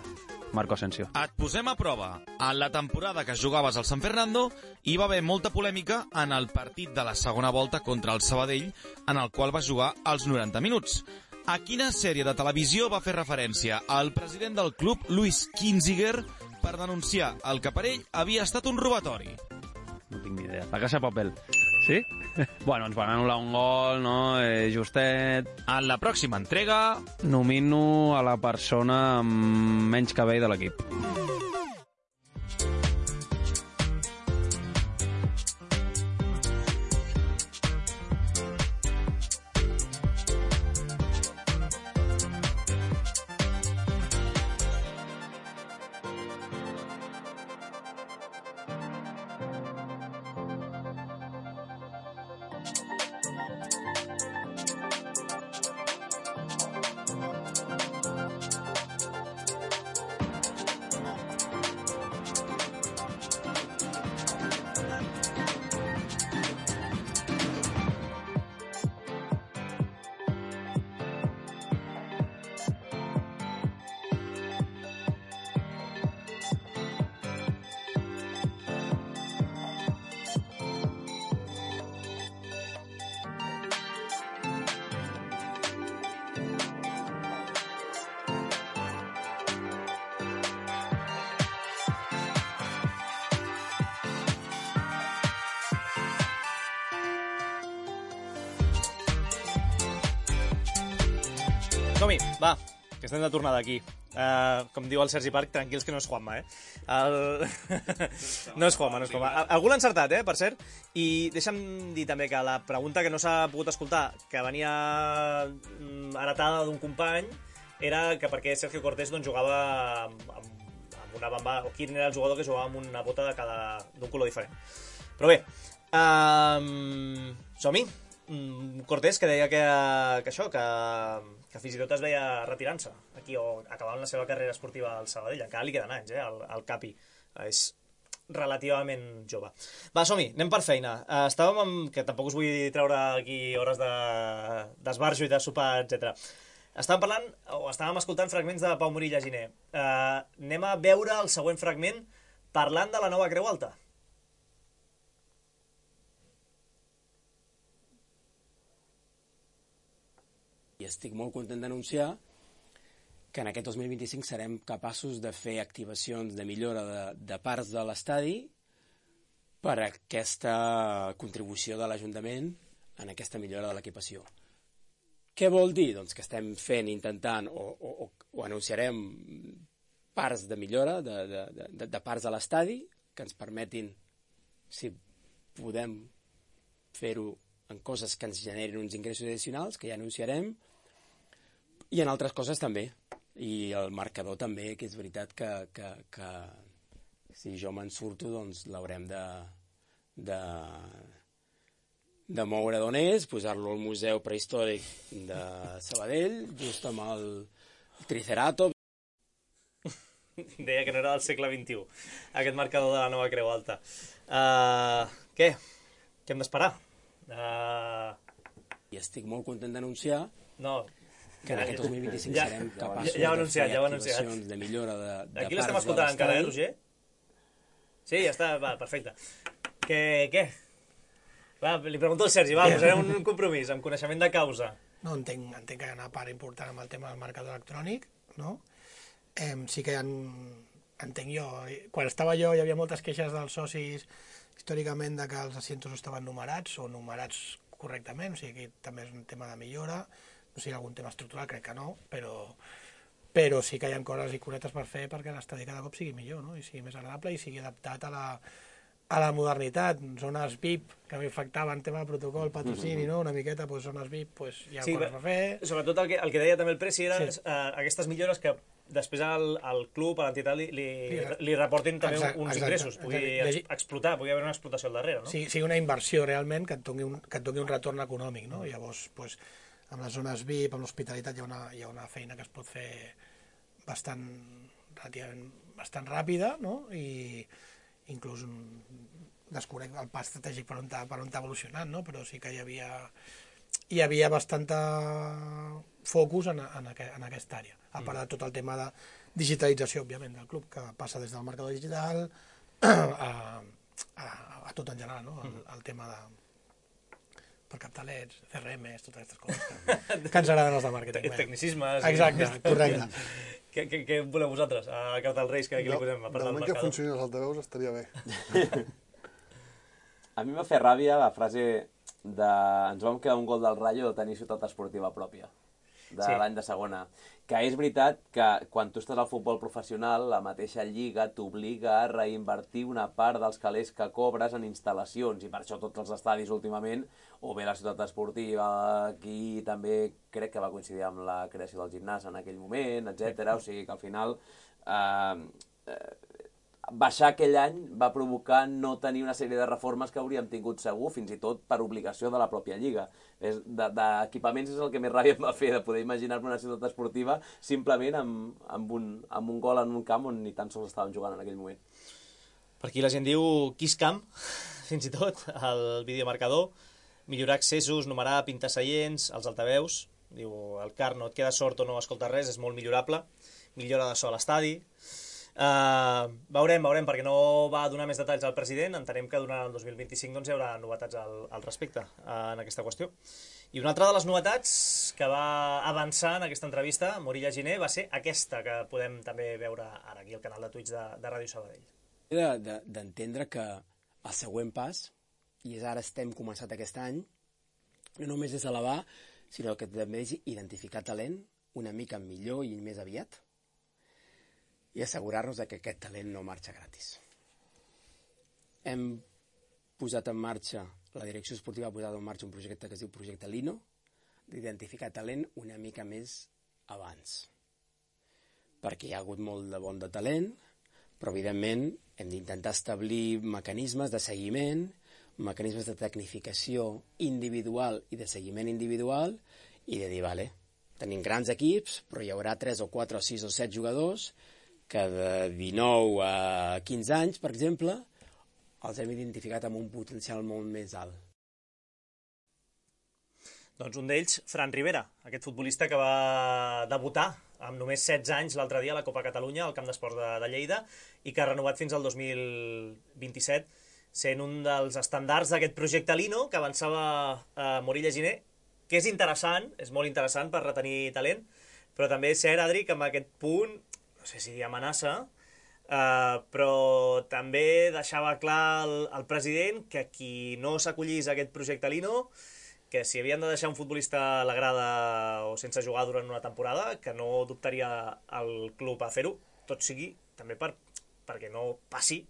Marco Asensio. Et posem a prova. En la temporada que jugaves al San Fernando hi va haver molta polèmica en el partit de la segona volta contra el Sabadell, en el qual va jugar els noranta minuts. A quina sèrie de televisió va fer referència el president del club, Luis Kinziger, per denunciar el que per ell havia estat un robatori? No tinc ni idea. La Casa de Papel. Sí? Bueno, ens van anul·lar un gol, no? Eh, justet. En la pròxima entrega nomino a la persona amb menys cabell de l'equip. Som-hi, va, que estem de tornada aquí. Uh, com diu el Sergi Parc, tranquils que no és Juanma, eh? El... no és Juanma, no és Juanma. Algú l'ha encertat, eh, per cert. I deixa'm dir també que la pregunta que no s'ha pogut escoltar, que venia heretada d'un company, era que per què Sergio Cortés doncs, jugava amb, amb, amb una bamba, o quin era el jugador que jugava amb una bota de cada d'un color diferent. Però bé, um, som-hi. Cortés, que deia que, que això, que, que fins i tot es veia retirant-se aquí o acabant la seva carrera esportiva al Sabadell. Encara li queden anys, eh, al, al Capi. És relativament jove. Va, som-hi, anem per feina. Uh, estàvem amb... que tampoc us vull treure aquí hores d'esbarjo de, i de sopar, etcètera. Estàvem parlant, o estàvem escoltant fragments de Pau Morilla Giner. Uh, anem a veure el següent fragment parlant de la nova Creu Alta. I estic molt content d'anunciar que en aquest dos mil vint-i-cinc serem capaços de fer activacions de millora de, de parts de l'estadi per a aquesta contribució de l'Ajuntament en aquesta millora de l'equipació. Què vol dir? Doncs que estem fent, intentant, o, o, o anunciarem parts de millora de, de, de, de parts de l'estadi que ens permetin, si podem fer-ho en coses que ens generin uns ingressos addicionals, que ja anunciarem, i en altres coses també. I el marcador també, que és veritat que, que, que si jo me'n surto, doncs l'haurem de, de, de moure d'on és, posar-lo al Museu Prehistòric de Sabadell, just amb el Triceratops. Deia que no era del segle vint-i-u, aquest marcador de la nova Creu Alta. Uh, què? Què hem d'esperar? Uh... I estic molt content d'anunciar no, que en aquest dos mil vint-i-cinc ja, serem capaços ja, ja de fer ja activacions de millora de, de aquí l'estem escoltant encara, eh, Roger? Sí, ja està, va, perfecte. Què? què? Va, li pregunto al Sergi, va, posarem un compromís amb coneixement de causa. No, entenc, entenc que hi ha una part important amb el tema del marcador electrònic, no? Eh, sí que en, entenc jo, quan estava jo hi havia moltes queixes dels socis històricament de que els asientos estaven numerats o numerats correctament, o sigui que també és un tema de millora, no sé si hi ha algun tema estructural, crec que no, però, però sí que hi ha coses i curetes per fer perquè l'estadi cada cop sigui millor, no? I sigui més agradable i sigui adaptat a la, a la modernitat. Zones V I P, que m'afectaven tema de protocol, patrocini, no? Una miqueta, doncs, zones V I P, doncs, hi ha sí, coses per fer. Sobretot el que, el que deia també el Preci era sí. uh, aquestes millores que després al, al club, a l'entitat, li, li, li reportin també exacte, uns exacte, ingressos, pugui exacte. explotar, pugui haver una explotació al darrere, no? Sí, sigui una inversió realment que et doni un, que et doni un retorn econòmic, no? Llavors, pues, amb les zones V I P, amb l'hospitalitat, hi ha una, hi ha una feina que es pot fer bastant, relativament, bastant ràpida, no? I inclús desconec el pas estratègic per on t'ha per on t'ha evolucionat, no? Però sí que hi havia, hi havia bastanta focus en, en, aqu en aquesta àrea, a part de tot el tema de digitalització, òbviament, del club, que passa des del marcador digital a, a, a tot en general, no? El, el tema de per captalets, C R Ms, totes aquestes coses que, que ens agraden els de màrqueting. Tecnicismes. Exacte, correcte. Què, què, què voleu vosaltres? A Carta dels Reis, que aquí no, li posem a part del marcador? Que funcionin els altaveus estaria bé. A mi m'ha fet ràbia la frase de ens vam quedar un gol del Rayo de tenir ciutat esportiva pròpia de sí. l'any de segona. Que és veritat que quan tu estàs al futbol professional, la mateixa lliga t'obliga a reinvertir una part dels calés que cobres en instal·lacions, i per això tots els estadis últimament, o bé la ciutat esportiva, aquí també crec que va coincidir amb la creació del gimnàs en aquell moment, etcètera. O sigui que al final eh, eh, baixar aquell any va provocar no tenir una sèrie de reformes que hauríem tingut segur, fins i tot per obligació de la pròpia lliga. D'equipaments és el que més ràbia em va fer, de poder imaginar-me una ciutat esportiva simplement amb, amb, un, amb un gol en un camp on ni tan sols estàvem jugant en aquell moment. Per aquí la gent diu Kiss Camp, fins i tot, el videomarcador, millorar accessos, numerar, pintar seients, els altaveus, diu el car no et queda sort o no escolta res, és molt millorable, millora de so a l'estadi. Uh, veurem, veurem, perquè no va donar més detalls al president. Entenem que durant el dos mil vint-i-cinc doncs, hi haurà novetats al, al respecte uh, en aquesta qüestió. I una altra de les novetats que va avançar en aquesta entrevista, Morilla Giner, va ser aquesta, que podem també veure ara aquí al canal de Twitch de, de Ràdio Sabadell. D'entendre que el següent pas, i és ara estem començat aquest any, no només és elevar, sinó que també és identificar talent una mica millor i més aviat, i assegurar-nos que aquest talent no marxa gratis. Hem posat en marxa, la direcció esportiva ha posat en marxa un projecte que es diu Projecte Lino, d'identificar talent una mica més abans. Perquè hi ha hagut molt de bon de talent, però evidentment hem d'intentar establir mecanismes de seguiment, mecanismes de tecnificació individual i de seguiment individual, i de dir, vale, tenim grans equips, però hi haurà tres o quatre o sis o set jugadors que de dinou a quinze anys, per exemple, els hem identificat amb un potencial molt més alt. Doncs un d'ells, Fran Rivera, aquest futbolista que va debutar amb només setze anys l'altre dia a la Copa Catalunya, al Camp d'Esports de, de Lleida, i que ha renovat fins al dos mil vint-i-set, sent un dels estandards d'aquest projecte Lino, que avançava eh, Morilla Giner, que és interessant, és molt interessant per retenir talent, però també és cert, Adri, que en aquest punt, no sé si dir amenaça, uh, però també deixava clar el, el president que qui no s'acollís a aquest projecte Lino, que si havien de deixar un futbolista a la grada o sense jugar durant una temporada, que no dubtaria el club a fer-ho, tot sigui també per, perquè no passi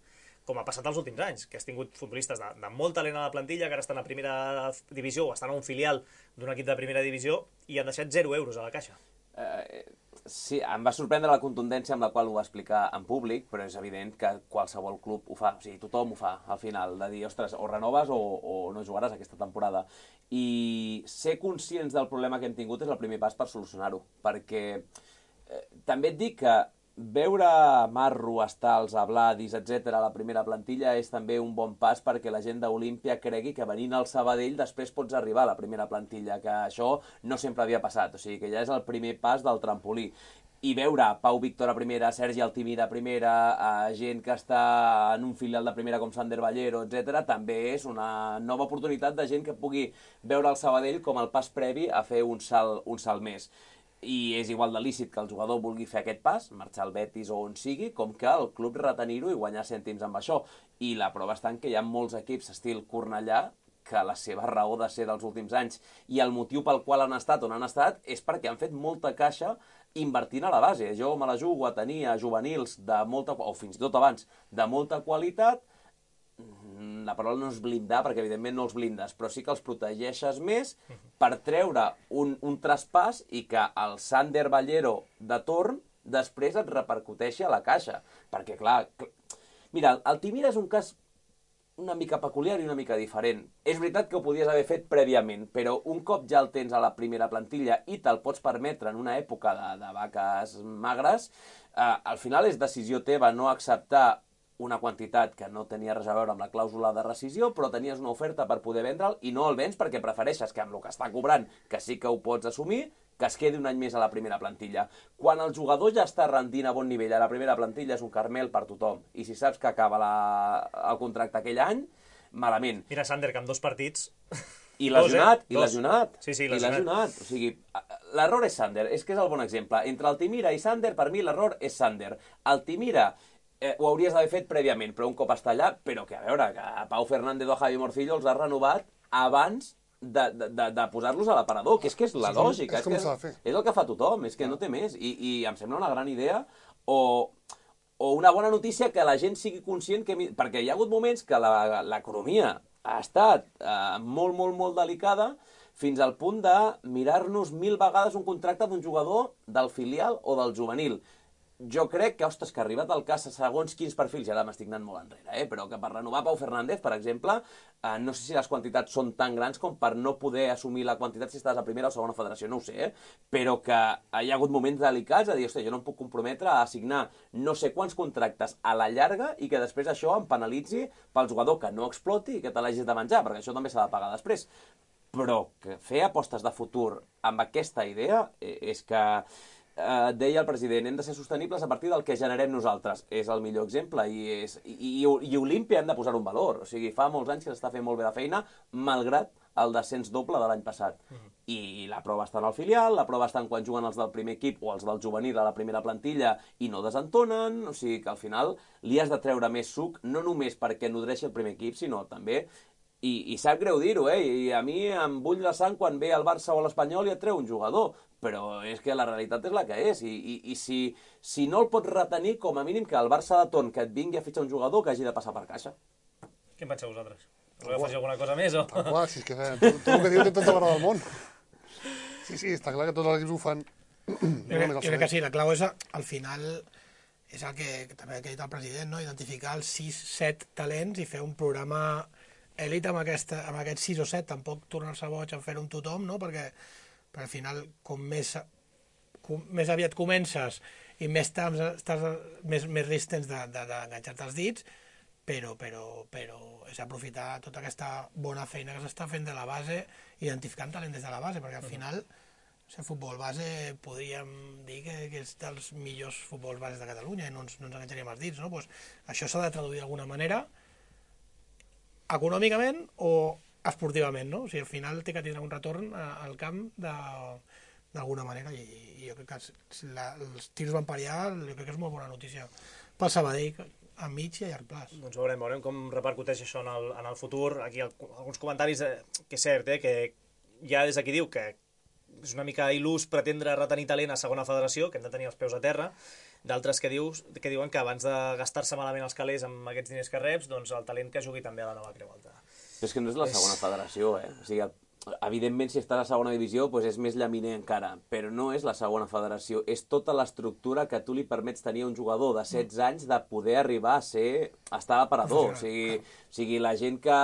com ha passat els últims anys, que has tingut futbolistes de, de molt talent a la plantilla, que ara estan a primera divisió o estan a un filial d'un equip de primera divisió i han deixat zero euros a la caixa. Eh, sí, em va sorprendre la contundència amb la qual ho va explicar en públic, però és evident que qualsevol club ho fa, o sigui, tothom ho fa al final, de dir, ostres, o renoves o, o no jugaràs aquesta temporada. I ser conscients del problema que hem tingut és el primer pas per solucionar-ho, perquè eh, també et dic que veure Marro, Estals, Abladis, etcètera a la primera plantilla és també un bon pas perquè la gent d'Olímpia cregui que venint al Sabadell després pots arribar a la primera plantilla, que això no sempre havia passat, o sigui que ja és el primer pas del trampolí. I veure Pau Víctor a primera, Sergi Altimira a primera, a gent que està en un filial de primera com Sander Ballero, etcètera, també és una nova oportunitat de gent que pugui veure el Sabadell com el pas previ a fer un salt, un salt més. I és igual de lícit que el jugador vulgui fer aquest pas, marxar al Betis o on sigui, com que el club retenir-ho i guanyar cèntims amb això. I la prova està en que hi ha molts equips estil Cornellà que la seva raó de ser dels últims anys i el motiu pel qual han estat on han estat és perquè han fet molta caixa invertint a la base. Jo me la jugo a tenir a juvenils de molta, o fins i tot abans, de molta qualitat. La paraula no és blindar, perquè evidentment no els blindes, però sí que els protegeixes més per treure un, un traspàs i que el Sander Ballero de torn després et repercuteixi a la caixa. Perquè, clar, cl... mira, el Timira és un cas una mica peculiar i una mica diferent. És veritat que ho podies haver fet prèviament, però un cop ja el tens a la primera plantilla i te'l pots permetre en una època de, de vaques magres, eh, al final és decisió teva no acceptar una quantitat que no tenia res a veure amb la clàusula de rescisió, però tenies una oferta per poder vendre'l i no el vens perquè prefereixes que amb el que està cobrant, que sí que ho pots assumir, que es quedi un any més a la primera plantilla. Quan el jugador ja està rendint a bon nivell a la primera plantilla és un carmel per tothom. I si saps que acaba la... el contracte aquell any, malament. Mira Sander, que amb dos partits... I lesionat, i lesionat. Sí, sí, i lesionat. O sigui, l'error és Sander, és que és el bon exemple. Entre Altimira i Sander, per mi l'error és Sander. Altimira eh, ho hauries d'haver fet prèviament, però un cop està allà, però que a veure, que a Pau Fernández o a Javi Morcillo els ha renovat abans de, de, de, de posar-los a l'aparador, que és que és la sí, lògica, és, és, que és, és el que fa tothom, és que no té més, i, i em sembla una gran idea, o, o una bona notícia que la gent sigui conscient, que, perquè hi ha hagut moments que l'economia ha estat eh, molt, molt, molt delicada, fins al punt de mirar-nos mil vegades un contracte d'un jugador del filial o del juvenil. Jo crec que, ostres, que ha arribat el cas a segons quins perfils, i ara m'estic anant molt enrere, eh? Però que per renovar Pau Fernández, per exemple, eh, no sé si les quantitats són tan grans com per no poder assumir la quantitat si estàs a primera o segona federació, no ho sé, eh? Però que hi ha hagut moments delicats a dir, ostres, jo no em puc comprometre a assignar no sé quants contractes a la llarga i que després això em penalitzi pel jugador que no exploti i que te l'hagis de menjar, perquè això també s'ha de pagar després. Però que fer apostes de futur amb aquesta idea eh, és que... Uh, deia el president, hem de ser sostenibles a partir del que generem nosaltres. És el millor exemple i, és, i, i, i Olímpia hem de posar un valor. O sigui, fa molts anys que s'està fent molt bé la feina, malgrat el descens doble de l'any passat. Uh-huh. I la prova està en el filial, la prova està en quan juguen els del primer equip o els del juvenil a la primera plantilla i no desentonen, o sigui que al final li has de treure més suc, no només perquè nodreixi el primer equip, sinó també... I, i sap greu dir-ho, eh? I a mi em bull la sang quan ve el Barça o l'Espanyol i et treu un jugador, però és que la realitat és la que és, i, i, i si, si no el pots retenir, com a mínim que el Barça de torn que et vingui a fitxar un jugador que hagi de passar per caixa. Què en penseu vosaltres? Voleu afegir alguna cosa més, o...? Tal qual, si és que tot, tot el que diu té tota la raó del món. Sí, sí, està clar que tots els equips ho fan. Jo crec, jo crec que sí, la clau és, al final, és el que també ha dit el president, no? Identificar els sis set talents i fer un programa èlit amb, aquesta, amb aquests sis o set, tampoc tornar-se boig a fer-ho amb tothom, no? Perquè, perquè al final, com més, com més aviat comences i més temps estàs, més, més risc tens d'enganxar-te els dits, però, però, però és aprofitar tota aquesta bona feina que s'està fent de la base, identificant talent des de la base, perquè al final, el futbol base podríem dir que, que és dels millors futbols bases de Catalunya i no ens, no ens enganxaríem els dits, no? Pues això s'ha de traduir d'alguna manera, econòmicament o esportivament, no? O sigui, al final té que tindre un retorn al camp d'alguna manera i, i jo crec que si la, els tirs van per allà, jo crec que és molt bona notícia pel Sabadell a mig i a llarg plaç. Doncs veurem, veurem com repercuteix això en el, en el futur. Aquí el, alguns comentaris, eh, que és cert, eh, que ja des d'aquí diu que és una mica il·lús pretendre retenir talent a segona federació, que hem de tenir els peus a terra, d'altres que, dius, que diuen que abans de gastar-se malament els calés amb aquests diners que reps, doncs el talent que jugui també a la nova Creu Alta. Però és que no és la segona és... federació, eh? O sigui, evidentment, si estàs a segona divisió, doncs és més llaminer encara, però no és la segona federació, és tota l'estructura que tu li permets tenir a un jugador de setze anys de poder arribar a ser, a estar aparador. O sigui, o sigui, la gent que...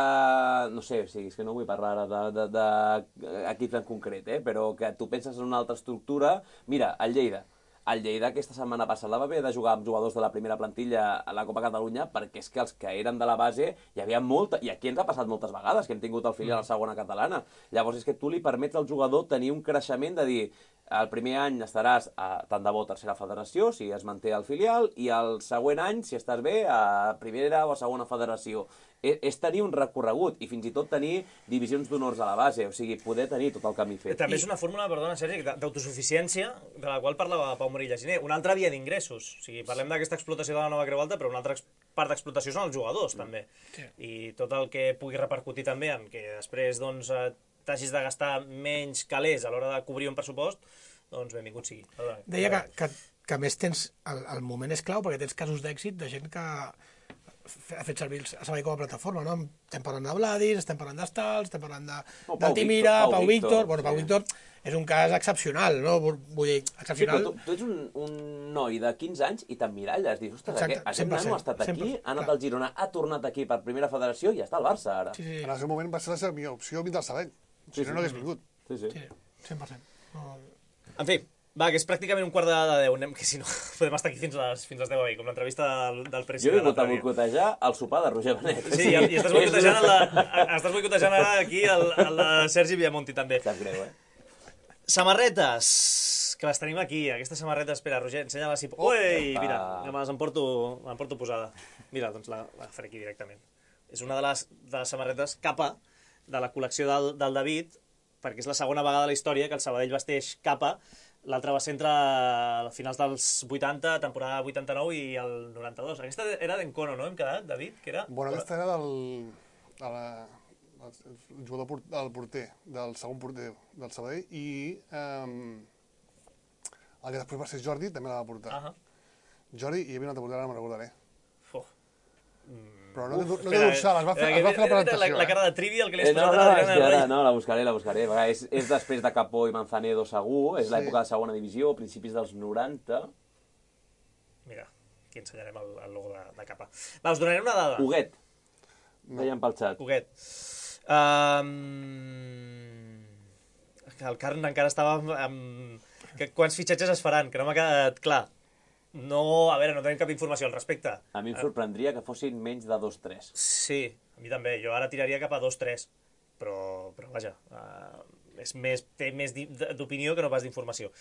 No sé, o sigui, és que no vull parlar ara d'equips en concret, eh? Però que tu penses en una altra estructura... Mira, el Lleida. El Lleida aquesta setmana passada va haver de jugar amb jugadors de la primera plantilla a la Copa Catalunya perquè és que els que eren de la base hi havia molta... I aquí ens ha passat moltes vegades que hem tingut el filial a la segona catalana. Llavors és que tu li permets al jugador tenir un creixement de dir el primer any estaràs a tant de bo tercera federació, si es manté el filial, i el següent any, si estàs bé, a primera o a segona federació. És tenir un recorregut i fins i tot tenir divisions d'honors a la base, o sigui, poder tenir tot el camí fet. També és una fórmula, perdona, Sergi, d'autosuficiència, de la qual parlava Pau Morilla Giner. Una altra via d'ingressos. O sigui, parlem d'aquesta explotació de la nova Creu Alta, però una altra part d'explotació són els jugadors, també. Sí. I tot el que pugui repercutir també en que després, doncs, t'hagis de gastar menys calés a l'hora de cobrir un pressupost, doncs benvingut sigui. Deia que, que, que més tens... El, el moment és clau perquè tens casos d'èxit de gent que ha fet servir el Sabadell com a plataforma, no? Estem parlant de Vladis, estem parlant d'Estals, estem parlant de, no, de Timira, Pau, Pau Víctor... Víctor. Bueno, Pau sí. Víctor és un cas excepcional, no? Vull dir, excepcional... Sí, però tu, tu ets un, un noi de quinze anys i t'emmiralles, dius, ostres, aquest, aquest nano ha estat aquí, sempre, ha anat clar. Al Girona, ha tornat aquí per primera federació i ja està al Barça, ara. Sí, sí. En el seu moment va ser la seva millor opció vindre al Sabadell, si sí, no, sí, no hagués vingut. Sí, sí. Sí, cent per cent. No... En fi, va, que és pràcticament un quart de deu, anem, que si no podem estar aquí fins a les, fins a les deu avui, com l'entrevista del, del president. Jo he vingut a boicotejar el sopar de Roger Benet. Sí, i, i estàs boicotejant, la, estàs boicotejant ara aquí el, el de Sergi Villamonti, també. Sap greu, eh? Samarretes, que les tenim aquí, aquestes samarretes, espera, Roger, ensenya-les si... Ui, mira, me les emporto, emporto posada. Mira, doncs la, la faré aquí directament. És una de les, de les samarretes capa de la col·lecció del, del David, perquè és la segona vegada a la història que el Sabadell vesteix capa. L'altra va ser entre finals dels vuitanta, temporada vuitanta-nou i el noranta-dos. Aquesta era d'Encono, no? Hem quedat, David? Que era? Bueno, aquesta era del... De la, el jugador del porter, del segon porter del Sabadell, i um, el que després va ser Jordi també la va portar. Uh -huh. Jordi, i hi havia una altra portera, ara me'n recordaré. Oh. Però no, Uf, no té dorsal, es va fer, es va fer la presentació. La, la cara de trivial que li has eh, no, posat no, a l'Adriana no, Rey. no, la buscaré, la buscaré. És, és després de Capó i Manzanedo segur, és sí. L'època de segona divisió, principis dels noranta. Mira, aquí ensenyarem el, el logo de, de capa. Va, us donaré una dada. Huguet. No. Deien pel xat. Huguet. Um... El Carn encara estava amb... Que, quants fitxatges es faran? Que no m'ha quedat clar. No, a veure, no tenim cap informació al respecte. A mi em sorprendria que fossin menys de dos tres. Sí, a mi també. Jo ara tiraria cap a dos tres. Però, però vaja, uh, és més, té més d'opinió que no pas d'informació.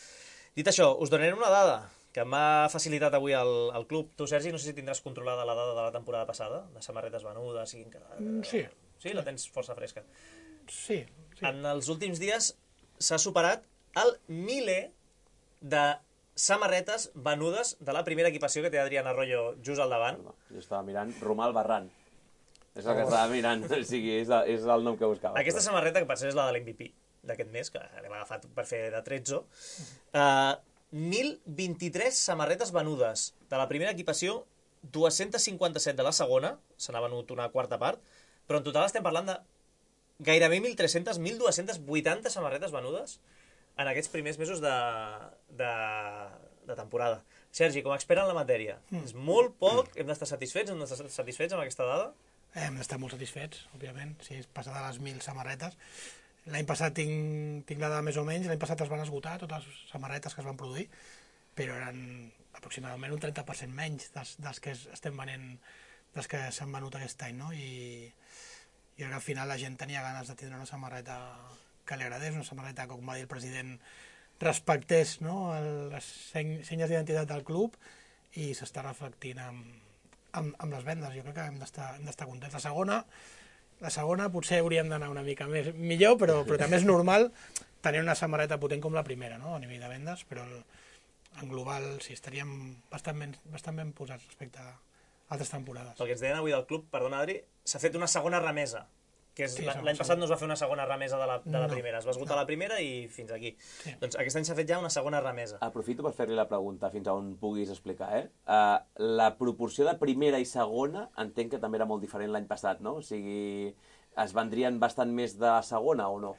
Dit això, us donaré una dada que m'ha facilitat avui el, el club. Tu, Sergi, no sé si tindràs controlada la dada de la temporada passada, de samarretes venudes i... Mm, sí. Sí, la tens força fresca. Sí, sí. En els últims dies s'ha superat el miler de samarretes venudes de la primera equipació que té Adrián Arroyo just al davant. Jo estava mirant Romal Barran. És el que estava mirant, o sigui, és, el, és el nom que buscava. Aquesta però... samarreta, que per ser és la de l'M V P d'aquest mes, que l'hem agafat per fer de tretze, uh, mil vint-i-tres samarretes venudes de la primera equipació, dos-cents cinquanta-set de la segona, se n'ha venut una quarta part, però en total estem parlant de gairebé mil tres-centes, mil dos-cents vuitanta samarretes venudes en aquests primers mesos de, de, de temporada. Sergi, com a expert en la matèria, mm. és molt poc, hem d'estar satisfets, hem d'estar satisfets amb aquesta dada? Hem d'estar molt satisfets, òbviament, si és passar de les mil samarretes. L'any passat tinc, tinc la dada més o menys, l'any passat es van esgotar totes les samarretes que es van produir, però eren aproximadament un trenta per cent menys dels, dels que estem venent, dels que s'han venut aquest any, no? I, i ara al final la gent tenia ganes de tindre una samarreta que li agradés, una samarreta, com va dir el president, respectés, no?, les senyes d'identitat del club, i s'està reflectint amb, amb, amb les vendes. Jo crec que hem d'estar hem d'estar contents. La segona, la segona potser hauríem d'anar una mica més millor, però, però també és normal tenir una samarreta potent com la primera, no? A nivell de vendes, però el, en global sí, estaríem bastant ben, bastant ben posats respecte a altres temporades. El que ens deien avui del club, perdona Adri, s'ha fet una segona remesa, que és, Sí, l'any segon, passat no es va fer una segona remesa de la, de la No, primera, es va esgotar no. la primera i fins aquí. Sí. Doncs aquest any s'ha fet ja una segona remesa. Aprofito per fer-li la pregunta fins a on puguis explicar, eh? Uh, la proporció de primera i segona entenc que també era molt diferent l'any passat, no? O sigui, es vendrien bastant més de la segona o no?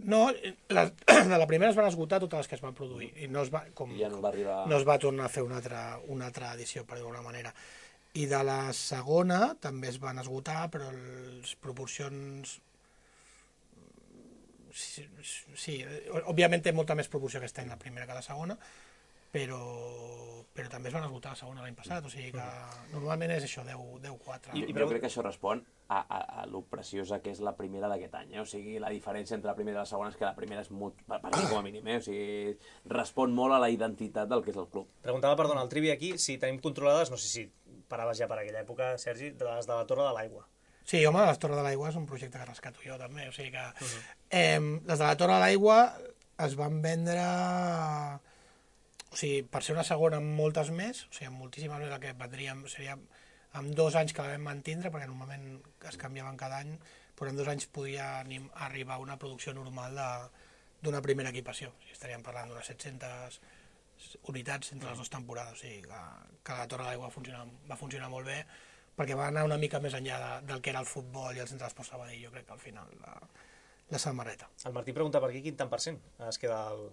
No, les, de la primera es van esgotar totes les que es van produir i no es va, com, I ja no va arribar... no es va tornar a fer una altra, una altra edició, per dir-ho d'alguna manera. I de la segona també es van esgotar, però les proporcions... Sí, sí, òbviament té molta més proporció aquest any la primera que la segona, però, però també es van esgotar la segona l'any passat, o sigui que normalment és això, deu quatre. I, jo crec que això respon a, a, a lo preciosa que és la primera d'aquest any, eh? O sigui, la diferència entre la primera i la segona és que la primera és molt, per mi com a mínim, eh? O sigui, respon molt a la identitat del que és el club. Preguntava, perdona, el Trivi aquí, si tenim controlades, no sé si paraves ja per aquella època, Sergi, de les de la Torre de l'Aigua. Sí, home, les Torre de l'Aigua és un projecte que rescato jo també, o sigui que... Uh-huh. eh, les de la Torre de l'Aigua es van vendre... O sigui, per ser una segona amb moltes més, o sigui, amb moltíssimes més, el que vendríem seria amb dos anys que la vam mantindre, perquè normalment es canviaven cada any, però en dos anys podia arribar a una producció normal d'una primera equipació. O sigui, estaríem parlant d'unes set-centes unitats entre les dues temporades, o sigui, que, que la Torre de l'Aigua va funcionar, va funcionar molt bé, perquè va anar una mica més enllà de, del que era el futbol i el centre d'esport Sabadell, jo crec que al final la, la samarreta. El Martí pregunta per aquí quin tant per cent es queda al,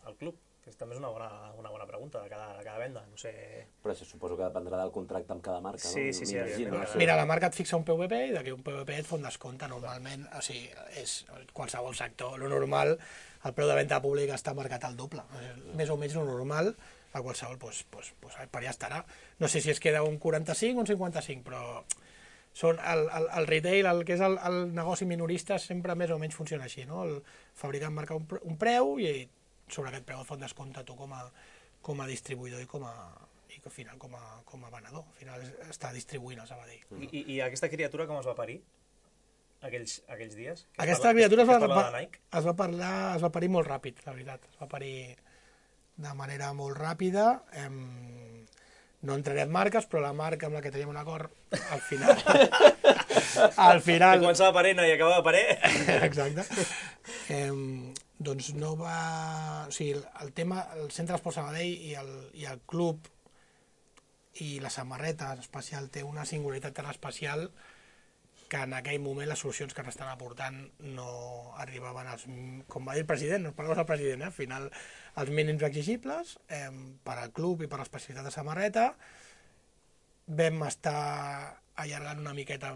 al club, que també és una bona, una bona pregunta de cada, de cada venda, no sé... Però això suposo que dependrà del contracte amb cada marca, sí, no? Sí, sí, sí. Mira, la marca et fixa un P V P i d'aquí un P V P et fa un descompte normalment, o sigui, és qualsevol sector, lo normal, el preu de venda pública està marcat al doble, més o menys lo normal, a qualsevol, pues, pues, pues, per allà estarà. No sé si es queda un quaranta-cinc o un cinquanta-cinc, però són el, el, el retail, el que és el, el negoci minorista, sempre més o menys funciona així, no? El fabricant marca un, un preu i sobre aquest preu et fa un descompte tu com a, com a distribuïdor i com a, i al final com a, com a venedor. Al final està distribuint el Sabadell. I, i, I aquesta criatura com es va parir? Aquells, aquells dies? Que Aquesta es parla, criatura es, es va, es, va, es va parlar, es va parir molt ràpid, la veritat. Es va parir de manera molt ràpida. Em... No entraré en marques, però la marca amb la que teníem un acord, al final... al final... Que començava a parir, no, i acabava a parir. Exacte. Em... Doncs no va... O sigui, el tema, el Centre d'Esport Sabadell i el, i el club i la samarreta en especial té una singularitat tan especial que en aquell moment les solucions que s'estan aportant no arribaven als, com va dir el president, no parlem del president, eh? Al final els mínims exigibles eh, per al club i per l'especialitat de samarreta. Vam estar allargant una miqueta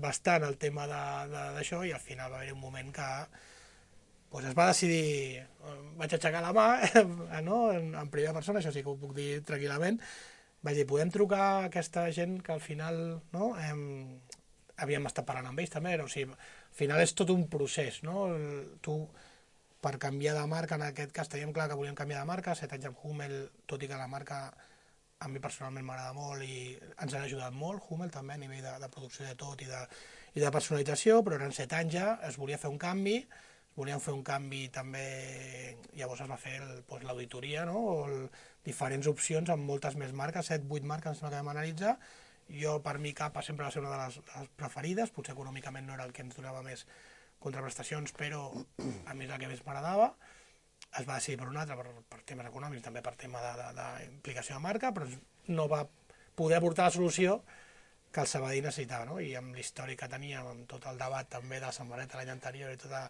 bastant el tema d'això i al final va haver un moment que pues, es va decidir, vaig aixecar la mà no? en, en primera persona, això sí que ho puc dir tranquil·lament, vaig dir, podem trucar a aquesta gent que al final no, hem, havíem estat parlant amb ells també, o sigui, al final és tot un procés, no? El, tu, per canviar de marca, en aquest cas teníem clar que volíem canviar de marca, set anys amb Hummel, tot i que la marca a mi personalment m'agrada molt i ens ha ajudat molt, Hummel també a nivell de, de producció de tot i de, i de personalització, però eren set anys ja, es volia fer un canvi, volíem fer un canvi també, llavors es va fer l'auditoria, no? O el, diferents opcions amb moltes més marques, set, vuit marques que vam analitzar. Jo, per mi, Capa sempre va ser una de les, de les preferides, potser econòmicament no era el que ens donava més contraprestacions, però a mi és el que més m'agradava. Es va decidir per una altra, per, per temes econòmics, també per tema d'implicació de, de, de marca, però no va poder aportar la solució que el Sabadell necessitava, no? I amb l'històric que teníem, amb tot el debat també de la samarreta l'any anterior i tota,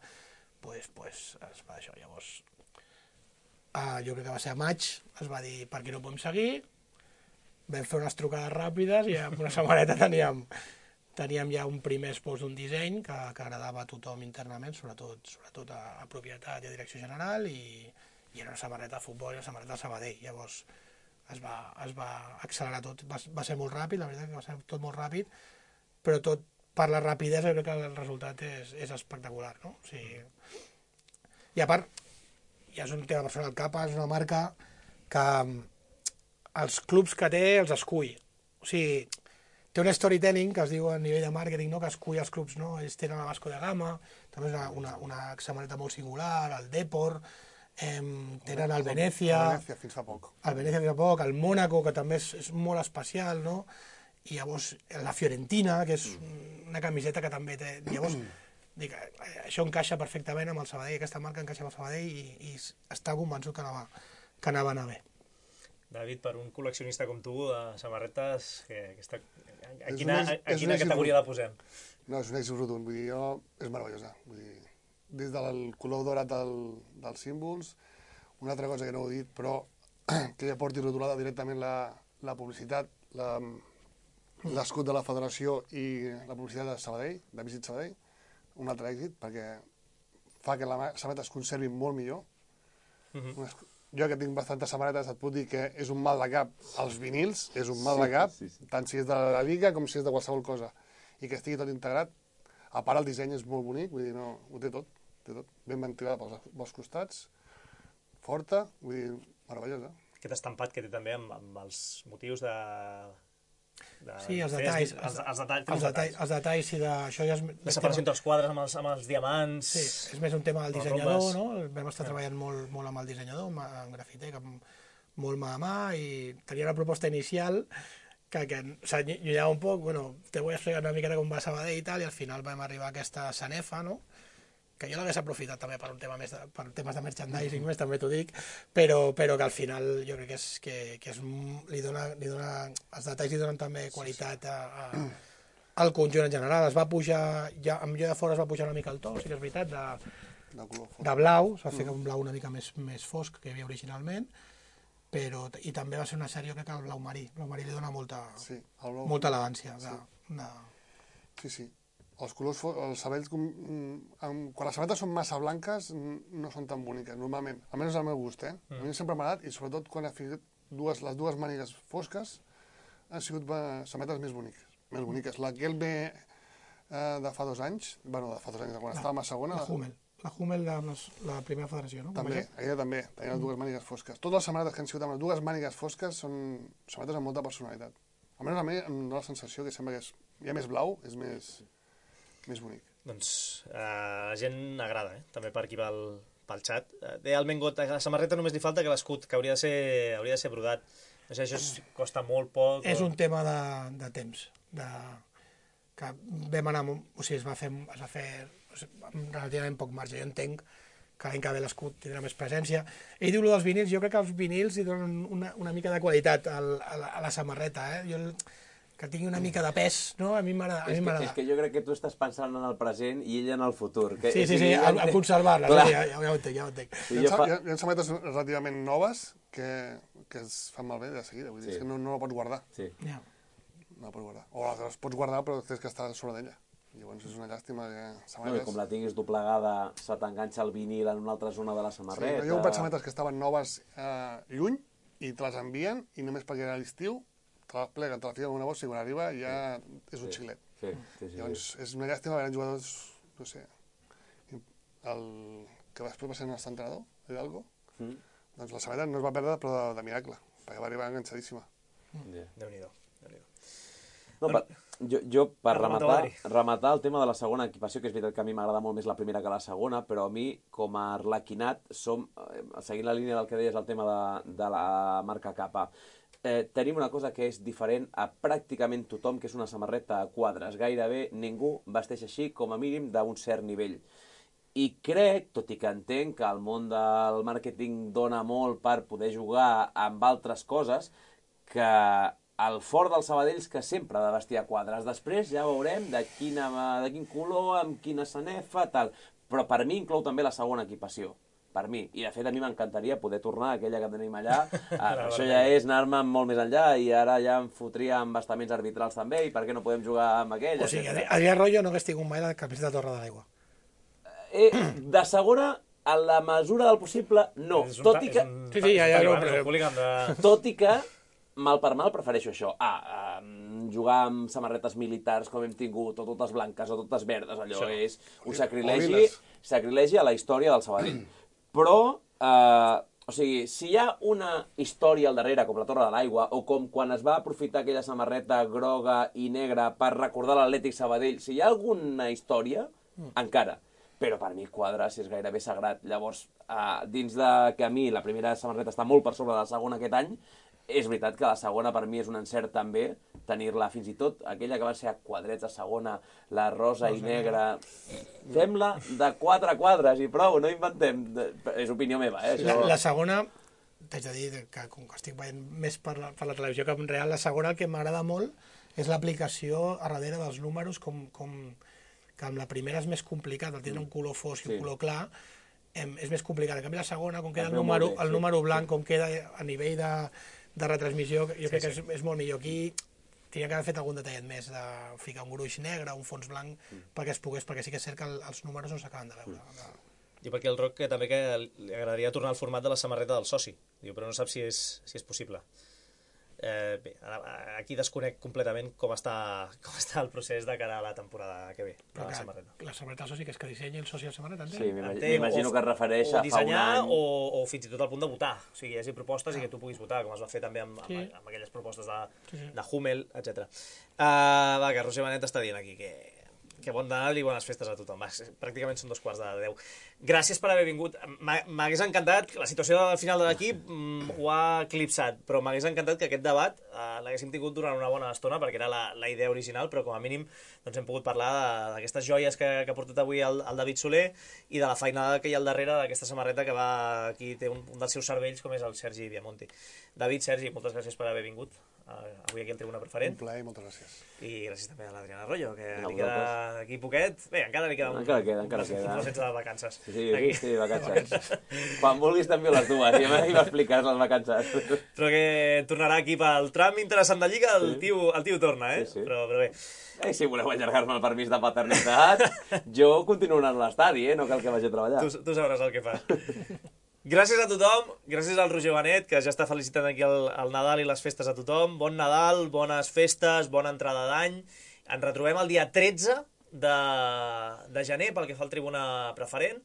pues, pues, es va això. Llavors, uh, jo crec que va ser a maig, es va dir per què no podem seguir, vam fer unes trucades ràpides i amb una samarreta teníem, teníem ja un primer expos d'un disseny que, que agradava a tothom internament, sobretot, sobretot a, a propietat i a direcció general, i, i era una samarreta de futbol i una samarreta de Sabadell. Llavors es va, es va accelerar tot, va, va ser molt ràpid, la veritat que va ser tot molt ràpid, però tot per la rapidesa jo crec que el resultat és, és espectacular, no? O sigui, i a part, ja és un tema personal, Capa és una marca que els clubs que té els escull. O sigui, té un storytelling que es diu a nivell de màrqueting, no? Que escull els clubs, no? Ells tenen la Vasco da Gama, també és una, una, una samarreta molt singular, el Depor, eh, tenen el Venècia... El Venècia fins fa poc. El Venècia fins fa poc, el Mónaco, que també és, és molt especial, no? I llavors la Fiorentina, que és una camiseta que també té... Llavors, dic, això encaixa perfectament amb el Sabadell, aquesta marca encaixa amb el Sabadell i, i està convençut que anava, que anava a anar bé. David, per un col·leccionista com tu de samarretes, que, que està... a És quina, un èxit- a, a és un quina èxit categoria rotund. la posem? No, és un èxit rotund, vull dir, jo, és meravellosa. Vull dir, des del color dorat del, dels símbols, una altra cosa que no he dit, però que ja porti rotulada directament la, la publicitat, la, l'escut de la federació i la publicitat de Sabadell, de Visit Sabadell, un altre èxit, perquè fa que la samarreta es conservi molt millor. Mhm. Jo que tinc bastantes samarretes et puc dir que és un mal de cap els vinils, és un mal de cap, Sí, sí, sí. tant si és de la Liga com si és de qualsevol cosa. I que estigui tot integrat. A part el disseny és molt bonic, vull dir, no, ho té tot, té tot. Ben ventilada pels, pels costats, forta, vull dir, meravellosa. Aquest estampat que té també amb, amb els motius de... de Sí, els feies- detalls. Els, els, detalls, els, detalls, els detalls, sí, de... Això ja és... La separació entre els quadres amb els, amb els diamants... Sí, és més un tema del les dissenyador, rombes. no? Vam estar treballant molt, molt amb el dissenyador, amb, amb Grafitec, amb molt mà a mà, i tenia una proposta inicial que, que s'allunyava un poc, bueno, te vull explicar una miqueta com va Sabadell i tal, i al final vam arribar a aquesta sanefa, no? Que jo l'hagués aprofitat també per un tema més de, per temes de merchandising més, també t'ho dic, però, però que al final jo crec que, és, que, que és, li, dona, li dona, els detalls li donen també qualitat a, a, al conjunt en general. Es va pujar, ja, amb jo de fora es va pujar una mica el to, sí que és veritat, de, De color fort. de blau, es va fer un blau una mica més, més fosc que hi havia originalment, però, i també va ser una sèrie, jo crec que el blau marí, el blau marí li dona molta, Sí, el blau... molta elegància. De, Sí. de... Sí, sí. Els colors, fo- els sabells, com, mm, amb, quan les sabates són massa blanques, mm, no són tan boniques, normalment. Almenys és el meu gust, eh? A mi sempre m'ha agradat, i sobretot quan ha fet dues, les dues mànigues fosques, han sigut eh, sabates més boniques. Més boniques. La que el ve eh, de fa dos anys, bueno, de fa dos anys, quan La- estava a segona... La Hummel. La Hummel, la, la primera federació, no? Com També, això? aquella també, tenia les dues mànigues fosques. Totes les sabates que han sigut amb les dues mànigues fosques són sabates amb molta personalitat. Almenys a mi em dóna la sensació que sembla que és, hi ha més blau, és més, més bonic. Doncs eh, la gent agrada, eh? També per aquí pel, pel xat. Eh, Deia el Mengot, a la samarreta només li falta que l'escut, que hauria de ser, hauria de ser brodat. No sé, això es, costa molt poc... És o... un tema de, de temps, de, que vam anar, amb- o sigui, es va fer, es va fer o sigui, amb relativament poc marge. Jo entenc que l'any que ve l'escut tindrà més presència. Ell diu lo dels vinils, jo crec que els vinils li donen una, una mica de qualitat al, a, la, a la samarreta, eh? Jo, el- que tingui una mica de pes, no? A mi m'agrada. a És mi que, m'agrada. és que jo crec que tu estàs pensant en el present i ell en el futur. Que, Sí, o sí, sigui, sí, ja a, a entenc- conservar-les, Clar. eh? ja, ja, ja ho entenc, ja ho entenc. Sí, Hi jo ha, fa... hi ha, hi ha sabates relativament noves que, que es fan malbé de seguida, vull dir, Sí. és que no, no la pots guardar. Sí. Ja. No la pots guardar. O les, les pots guardar però tens que estar sobre d'ella. Llavors és una llàstima que No, i sabates... com la tinguis doblegada, se t'enganxa el vinil en una altra zona de la Sí, samarreta. però jo he comprat sabates que estaven noves eh, lluny i te les envien i només perquè era l'estiu te les pleguen, te la fiquen en una bossa i quan arriba ja és un Sí. xilet. Sí, sí, sí. Llavors és una llàstima veure jugadors, no sé, el que després va ser el nostre entrenador, Hidalgo, Mm. doncs la sabata no es va perdre però de, de miracle, perquè va arribar enganxadíssima. Yeah. Déu-n'hi-do. Déu-n'hi-do. No, per, jo, jo, per Per rematar, rematar, Adri. rematar el tema de la segona equipació, que és veritat que a mi m'agrada molt més la primera que la segona, però a mi, com a arlequinat, som, eh, seguint la línia del que deies, el tema de, de la marca Kappa, eh, tenim una cosa que és diferent a pràcticament tothom, que és una samarreta a quadres. Gairebé ningú vesteix així, com a mínim, d'un cert nivell. I crec, tot i que entenc que el món del màrqueting dona molt per poder jugar amb altres coses, que el fort dels Sabadells que sempre ha de vestir a quadres. Després ja veurem de, quina, de quin color, amb quina sanefa, tal. Però per mi inclou també la segona equipació. Per mi. I de fet a mi m'encantaria poder tornar a aquella que tenim allà. Ah, això ja és anar-me molt més enllà i ara ja em fotria amb bastaments arbitrals també i per què no podem jugar amb aquella? O sigui, Adri- Adrià Royo no hagués tingut mai la camiseta de Torre de l'Aigua. Eh, de segona, a la mesura del possible, no. És un Tot ta- i és que... un- Sí, sí, ja, ja, és un no, talibà, és però- un hooligan de... Tot i que, mal per mal, prefereixo això. Ah, um, jugar amb samarretes militars com hem tingut, o totes blanques o totes verdes, allò Això. és un O sacrilegi, liles. sacrilegi a la història del Sabadell. Però, eh, O sigui, si hi ha una història al darrere, com la Torre de l'Aigua, o com quan es va aprofitar aquella samarreta groga i negra per recordar l'Atlètic Sabadell, si hi ha alguna història, mm. encara. Però per mi quadra si és gairebé sagrat. Llavors, eh, dins de que a mi la primera samarreta està molt per sobre de la segona aquest any, és veritat que la segona per mi és un encert també, tenir-la fins i tot, aquella que va ser a quadrets a segona, la rosa i negra, fem-la de quatre quadres i prou, no inventem, és opinió meva, eh? La, la segona, t'haig de dir que com que estic veient més per la, per la televisió que en real, la segona el que m'agrada molt és l'aplicació a darrere dels números, com, com que amb la primera és més complicat, el tindre un color fosc i un color clar, em, és més complicat. En canvi la segona, com queda el número, el número blanc, com queda a nivell de de retransmissió, jo crec sí, sí. que és, és molt millor. Aquí tenia que haver fet algun detallet més, de ficar un gruix negre, un fons blanc, mm. perquè es pogués, perquè sí que és cert que el, els números no s'acaben de veure. Mm. I perquè el Roc que també que li agradaria tornar al format de la samarreta del soci, diu, però no sap si és, si és possible. Eh, bé, aquí desconec completament com està, com està el procés de cara a la temporada que ve. Però la que, samarreta. La samarreta del soci, que és que dissenyi el soci de la samarreta, sí, m'imagino que es refereix a fa un any. O dissenyar o, o fins i tot al punt de votar. O sigui, hi hagi propostes ah. i que tu puguis votar, com es va fer també amb, sí. amb, amb aquelles propostes de, sí, sí. de Hummel, etcètera. Uh, va, que Roger Benet està dient aquí que... que bon Nadal i bones festes a tothom. Va, pràcticament són dos quarts de deu. Gràcies per haver vingut. M'hagués encantat, la situació del final de l'equip mm, ho ha eclipsat, però m'hagués encantat que aquest debat eh, l'haguéssim tingut durant una bona estona, perquè era la, la idea original, però com a mínim doncs, hem pogut parlar d'aquestes joies que, que ha portat avui el, el David Soler i de la feinada que hi ha al darrere d'aquesta samarreta que va, aquí té un, un dels seus cervells, com és el Sergi Diamonti. David, Sergi, moltes gràcies per haver vingut. Uh, avui aquí al Tribuna Preferent. Un plaer i moltes gràcies. I gràcies també a l'Adriana Arroyo, que no, li queda aquí poquet. Bé, encara li queda un... Encara queda, encara queda. No sense les vacances. Sí, sí, sí, vacances. Quan vulguis també les dues, ja m'expliques les vacances. Però que tornarà aquí pel tram interessant de Lliga, el, sí. tio, el tio torna, eh? Sí, sí. Però, però bé. Eh, si voleu allargar-me el permís de paternitat, jo continuo anant a l'estadi, eh? No cal que vagi a treballar. Tu, tu sabràs el que fa. Gràcies a tothom, gràcies al Roger Benet, que ja està felicitant aquí el, el Nadal i les festes a tothom. Bon Nadal, bones festes, bona entrada d'any. Ens retrobem el dia tretze de, de gener pel que fa al Tribuna Preferent,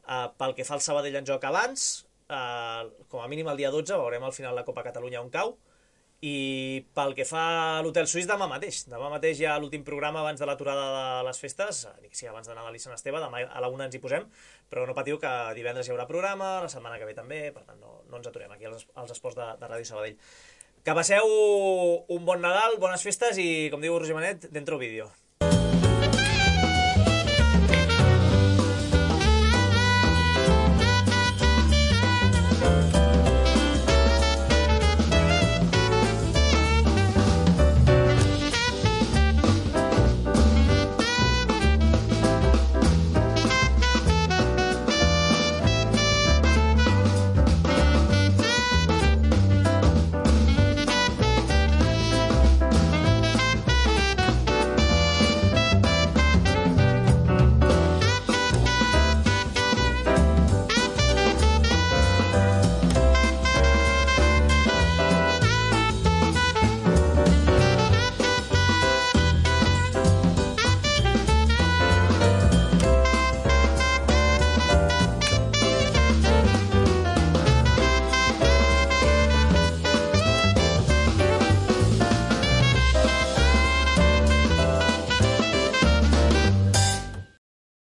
uh, pel que fa al Sabadell en joc abans, uh, com a mínim el dia dotze, veurem al final la Copa Catalunya on cau, i pel que fa a l'Hotel Suís demà mateix. Demà mateix hi ha l'últim programa abans de l'aturada de les festes, sí, abans de Nadal i Sant Esteve, demà a la una ens hi posem, però no patiu que divendres hi haurà programa, la setmana que ve també, per tant no, no ens aturem aquí als, als esports de, de Ràdio Sabadell. Que passeu un bon Nadal, bones festes i, com diu Roger Benet, dentro vídeo.